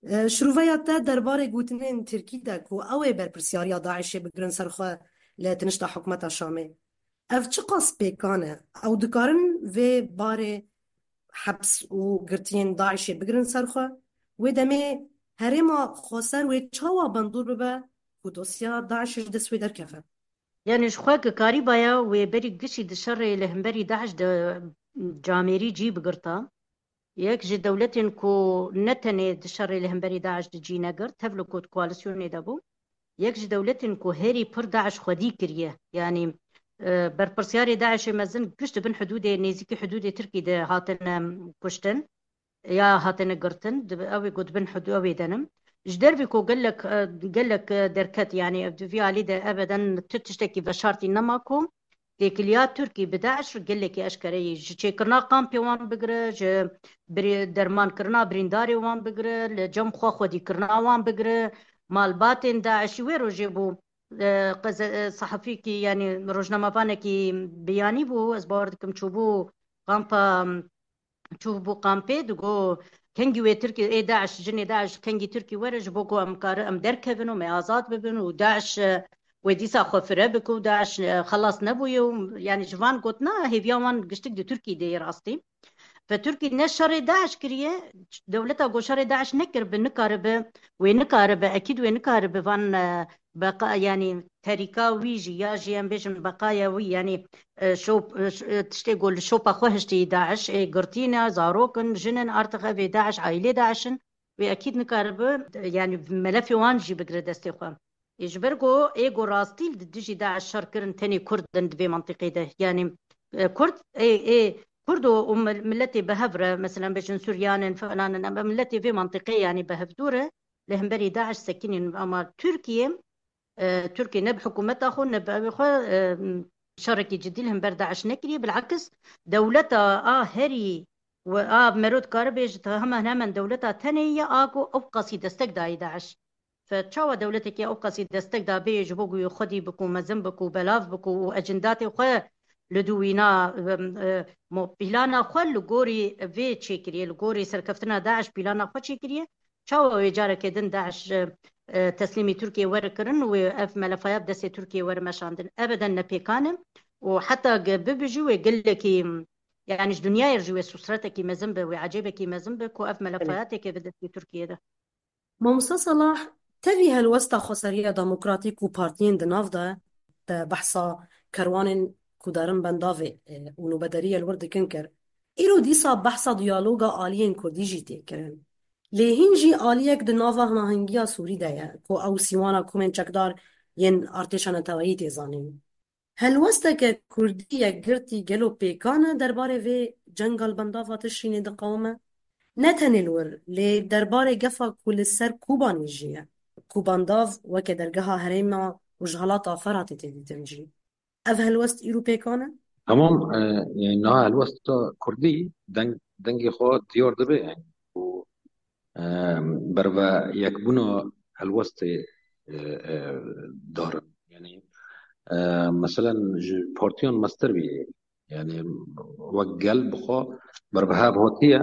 E, şiroveya te derbarê gotinên Tirkî de ku ew ê berpirsiyariya DAIŞê bigirin ser xwe li tinişta hikûmeta Şamê. Ev çiqas pêkan e? Ew dikarin vê barê heps û girtiyên DAIŞê bigirin ser xwe? Wê demê herêma xweser wê çawa bandor bibe ku dosya DAIŞê ji dest wê derkeve? Yanî ji xwe ki karîbaya wê berî gişî di şerê li hemberî DAIŞ de camêrî cî bigirta. Yek ji dewletên ku ne tenê di şerê li hemberî DAIŞ de cî negirt, tev li ku di koalîsyonê de bû. Yek ji dewletên ku herî pir DAIŞ xwedî kiriye. Yanî, e, berpirsiyarê DAIŞê mezin giş di bin hidûdê, nêzîkî hidûdê Tirkî de hatine kuştin ya hatine girtin, di, ew ê ku di bin hidû ew ê de ne. Ji dervî ku gelek, e, gelek, e, derket, yanî ev di vî alî de ebeden tu tiştekî veşartî nema ku têkiliya Tirkî bi DAIŞ gelekî eşkere ye. Ji çêkirina kampê wan bigire, ji birî-, dermankirina birîndarê wan bigire, li cem xwe xwedîkirina wan bigire, malbatên DAIŞî wê rojê bû, e, qeze-, e, sehefîkî, yanî rojnamevanekî biyanî bû, ez bawer dikim çûbû kampa, çûbû kampê, digo, kengî wê Tirkî, ê DAIŞ, jinê DAIŞ, kengî Tirkî were, ji bo ku em kare, em derkevin û me azad bibin û DAIŞ, e, wê dîsa xwe fire bike û DAIŞ, e, xelas nebûye û, yanî ji van gotina hêviya wan giştik di Tirkî de yê rastî. Ve Tirkî ne şerê DAIŞ kiriye, dewleta ku şerê DAIŞ nekiribe, nikaribe, wê nikaribe, ekîd wê nikaribe van, e, beqa, yanî terîka wî jî, ya jî em bêjin beqaya wî, yanî, e, şop, e, ş-, e, tiştê ku li şopa xwe hiştî DAIŞ, ê girtî ne, zarok in, jin in, artix ev ê DAIŞ, aîlê DAIŞ in, wê ekîd nikaribe, e, yanî melefê wan jî bigire destê xwe. Ê ji ber ku ê ku rastî li dijî DAIŞ şer kirin tenê Kurd in di vê mentiqê de. Yanî, e, Kurd, ê, ê, Kurd û, û mil-, miletê bi hev re, mesela bêjin Suryan in, falan in, em, em miletê vê mentiqê yanî bi hevdû re li hemberî DAIŞ sekinîn. Ama Tirkiye, e, Tirkiye ne bi hikûmeta xwe, ne bi evê xwe, e, şerekî cidî li hember DAIŞ nekiriye. Bilakis dewleta a herî û a mero dikare bêje hemen hemen dewleta tenê ye a ku ew qasî destek dayî DAIŞ. Fe çawa dewletekî ew qasî destek da bê ji bo ku wê xwedî biku, mezin biku, belav biku û ecindatê xwe li dû wîna, em, e, mo-, pîlana xwe li gorî vê çêkiriye, li gorî serkeftina DAIŞ pîlana xwe çêkiriye. Çawa wê careke din DAIŞ, e, e, teslîmî Tirkiyê were kirin û wê ev melefa ya bi destê Tirkiyê were meşandin? Ebeden ne pêkan e û heta ge-, bibijî wê gelekî, yanî ji dinyayê re jî wê sûsretekî mezin be, wê ecêbekî mezin be ku ev melefa Belê. ya têke bi destê Tirkiyê de. Mamoste Salah, tevî helwesta Xweseriya Demokratîk û partiyên di nav de, te behsa kerwanên ku derin bendavê, e, û nûbederiya li wir dikin kir. Îro dîsa behsa diyaloga aliyên kurdî jî tê kirin. Lê hîn jî aliyek di nava hinahingiya Sûrî de ye, ku ew sîwana komên çekdar yên artêşa neteweyî tê zanîn. Helwesteke kurdî yekgirtî gelo pêkan e derbarê vê cenga li bendava Tişrînê diqewime? Ne tenê li wir, lê derbarê gefa ku li ser Kobanê jî ye. Ku bendav weke dergeha herêma Rojhilata Feratê tê dîtin jî. Ev helwest îro pêkan e? Tamam, e, yani niha helwesta kurdî deng, dengê xwe diyar dibe yani. Û, e, berve yekbûna helwestê, e, e, darin. Yani, e, meselen ji partiyan mestir bî. Yani wek gel bi xwe berbihev hatiye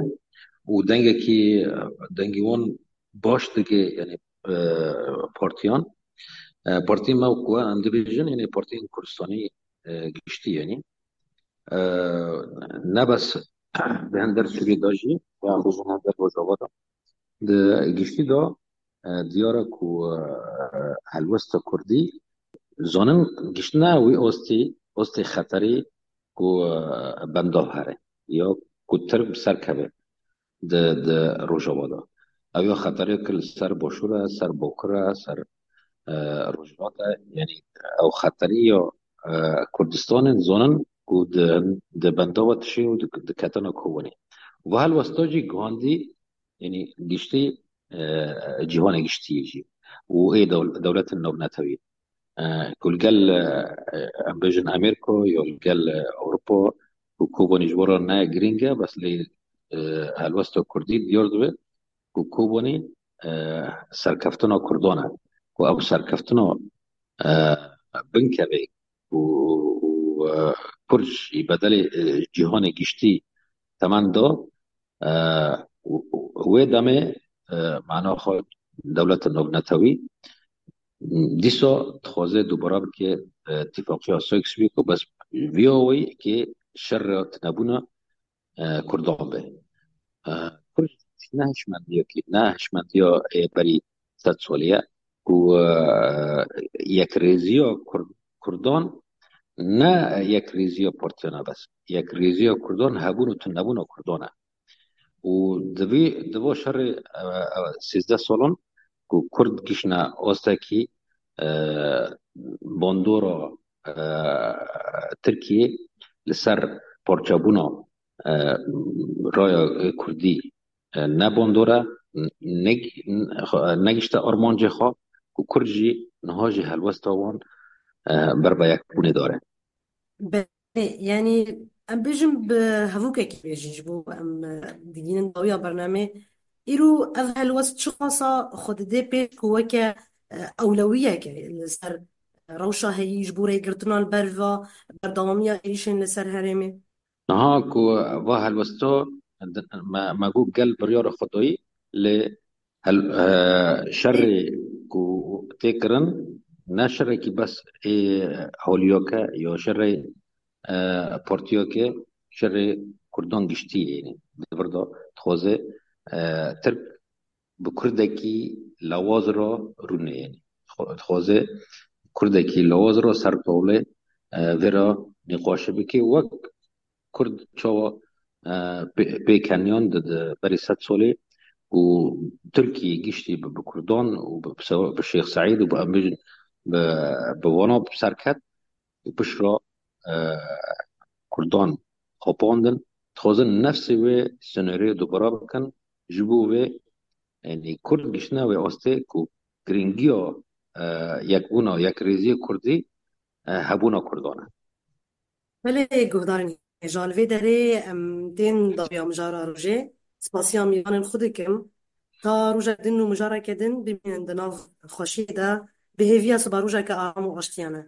û dengekî, dengê wan baş dike, yani, e, partiyan. E, partiyê me ku em dibêjin, yani partiyên Kurdistanî, e, giştî, yani. E, ne bes di hender Sûriyê de jî, yan bêjin hender Rojava de. Di giştî de, e, diyar e ku, e, helwesta kurdî zanin giştine wî ostî, ostê xeterî ku, e, bendav here ya ku Tirk bi ser keve di, di Rojava de. Ew ya xeterê ku li ser Başûr e, ser Bakur e, ser, e, Rojhilat e, yani ew xeterî ya, e, Kurdistanê zanin ku di, di bendava Tişrînê û di, diketina Kobanê. Ve helwesta jî gihandî, yani giştî, e, cîhanê giştî jî û ê dew-, dewletên navnetewî. E, ku li gel, e, em bêjin Amerîka ya li gel, e, Ewropa û Kobanî ji bo re ne girîng e, bes lê, e, helwesta kurdî diyar dibe ku Kobanî, e, serkeftina kurdan e. Ku ew serkeftina, e, binkevê û, û, e, kurd jî bedelê, e, cîhanê giştî temen da, e, û, û wê demê, e, mana xwe dewleta navnetewî dîsa dixwaze dubara bike, e, tifaqiya Sykes-Picot, bes viya wê kê şer re tunebûna, e, kurdan be. E, Kurd ne hişmendiyekî, ne hişmendiya ê berî sed solî ye ku, e, yekrêziya Kur-, kurdan ne yekrêziya partiyan e bes. Yekrêziya kurdan hebûn û tunebûna kurdan e. Û di vî, di vo şerê, e, e, sîzdeh salan ku kurd gişne ostekî, e, bandora, e, Tirkiyê li ser parçebûna, e, raya kurdî, e, ne bandor e, n-, neg-, n-, xwe-, negişte armancê xwe ku kurd jî niha jî helwesta wan, e, ber vê yekbûnê dare. Belê, yani em bêjin bi hevokekî bêjin ji bo em, e, digihînin dawiya bernamê. Îro ev helwest çiqasa xwe dide pêş ku weke, e, ewlewiyeke li ser rewşa heyî ji bo rêgirtina li ber va berdewamiya êrîşên li ser herêmê? Niha ku va helwesta me, me got gel biryara xwe dayî, lê hel-, e, şerê ku tê kirin ne şerekî bes ê holiyake ya şerê, e, partiyake, şerê kurdan giştî ye. Di vir de dixwaze, e, Tirk bi kurdekî lawaz re rûnê, yani. Xwe-, dixwaze kurdekî lawaz re ser tawlê, e, vê re nîqaşê bike, wek kurd çawa, e, pê-, pêkeniyan di, di berî sed solê û Tirkiyê giştî bi, bi kurdan û bi, bi se-, bi Şêx Seîd û bi, em bêjin, bi, bi wana bi ser ket û pişt re, e, kurdan xapandin, dixwazin nefsê wê senaryoyê dubara bikin, ji bo vê, yani kurd giştine wê astê ku girîngiya, e, yekbûna, yekrêziya kurdî, e, hebûna kurdan e. Belê guhdarên hêja, li vê derê em tên dawiya mijara rojê. Spasiya mêvanên xwe dikim. Ta rojek din û mijareke din bimînin di nav xweşiyê de, bi hêviya siba rojeke aram û aştiyane.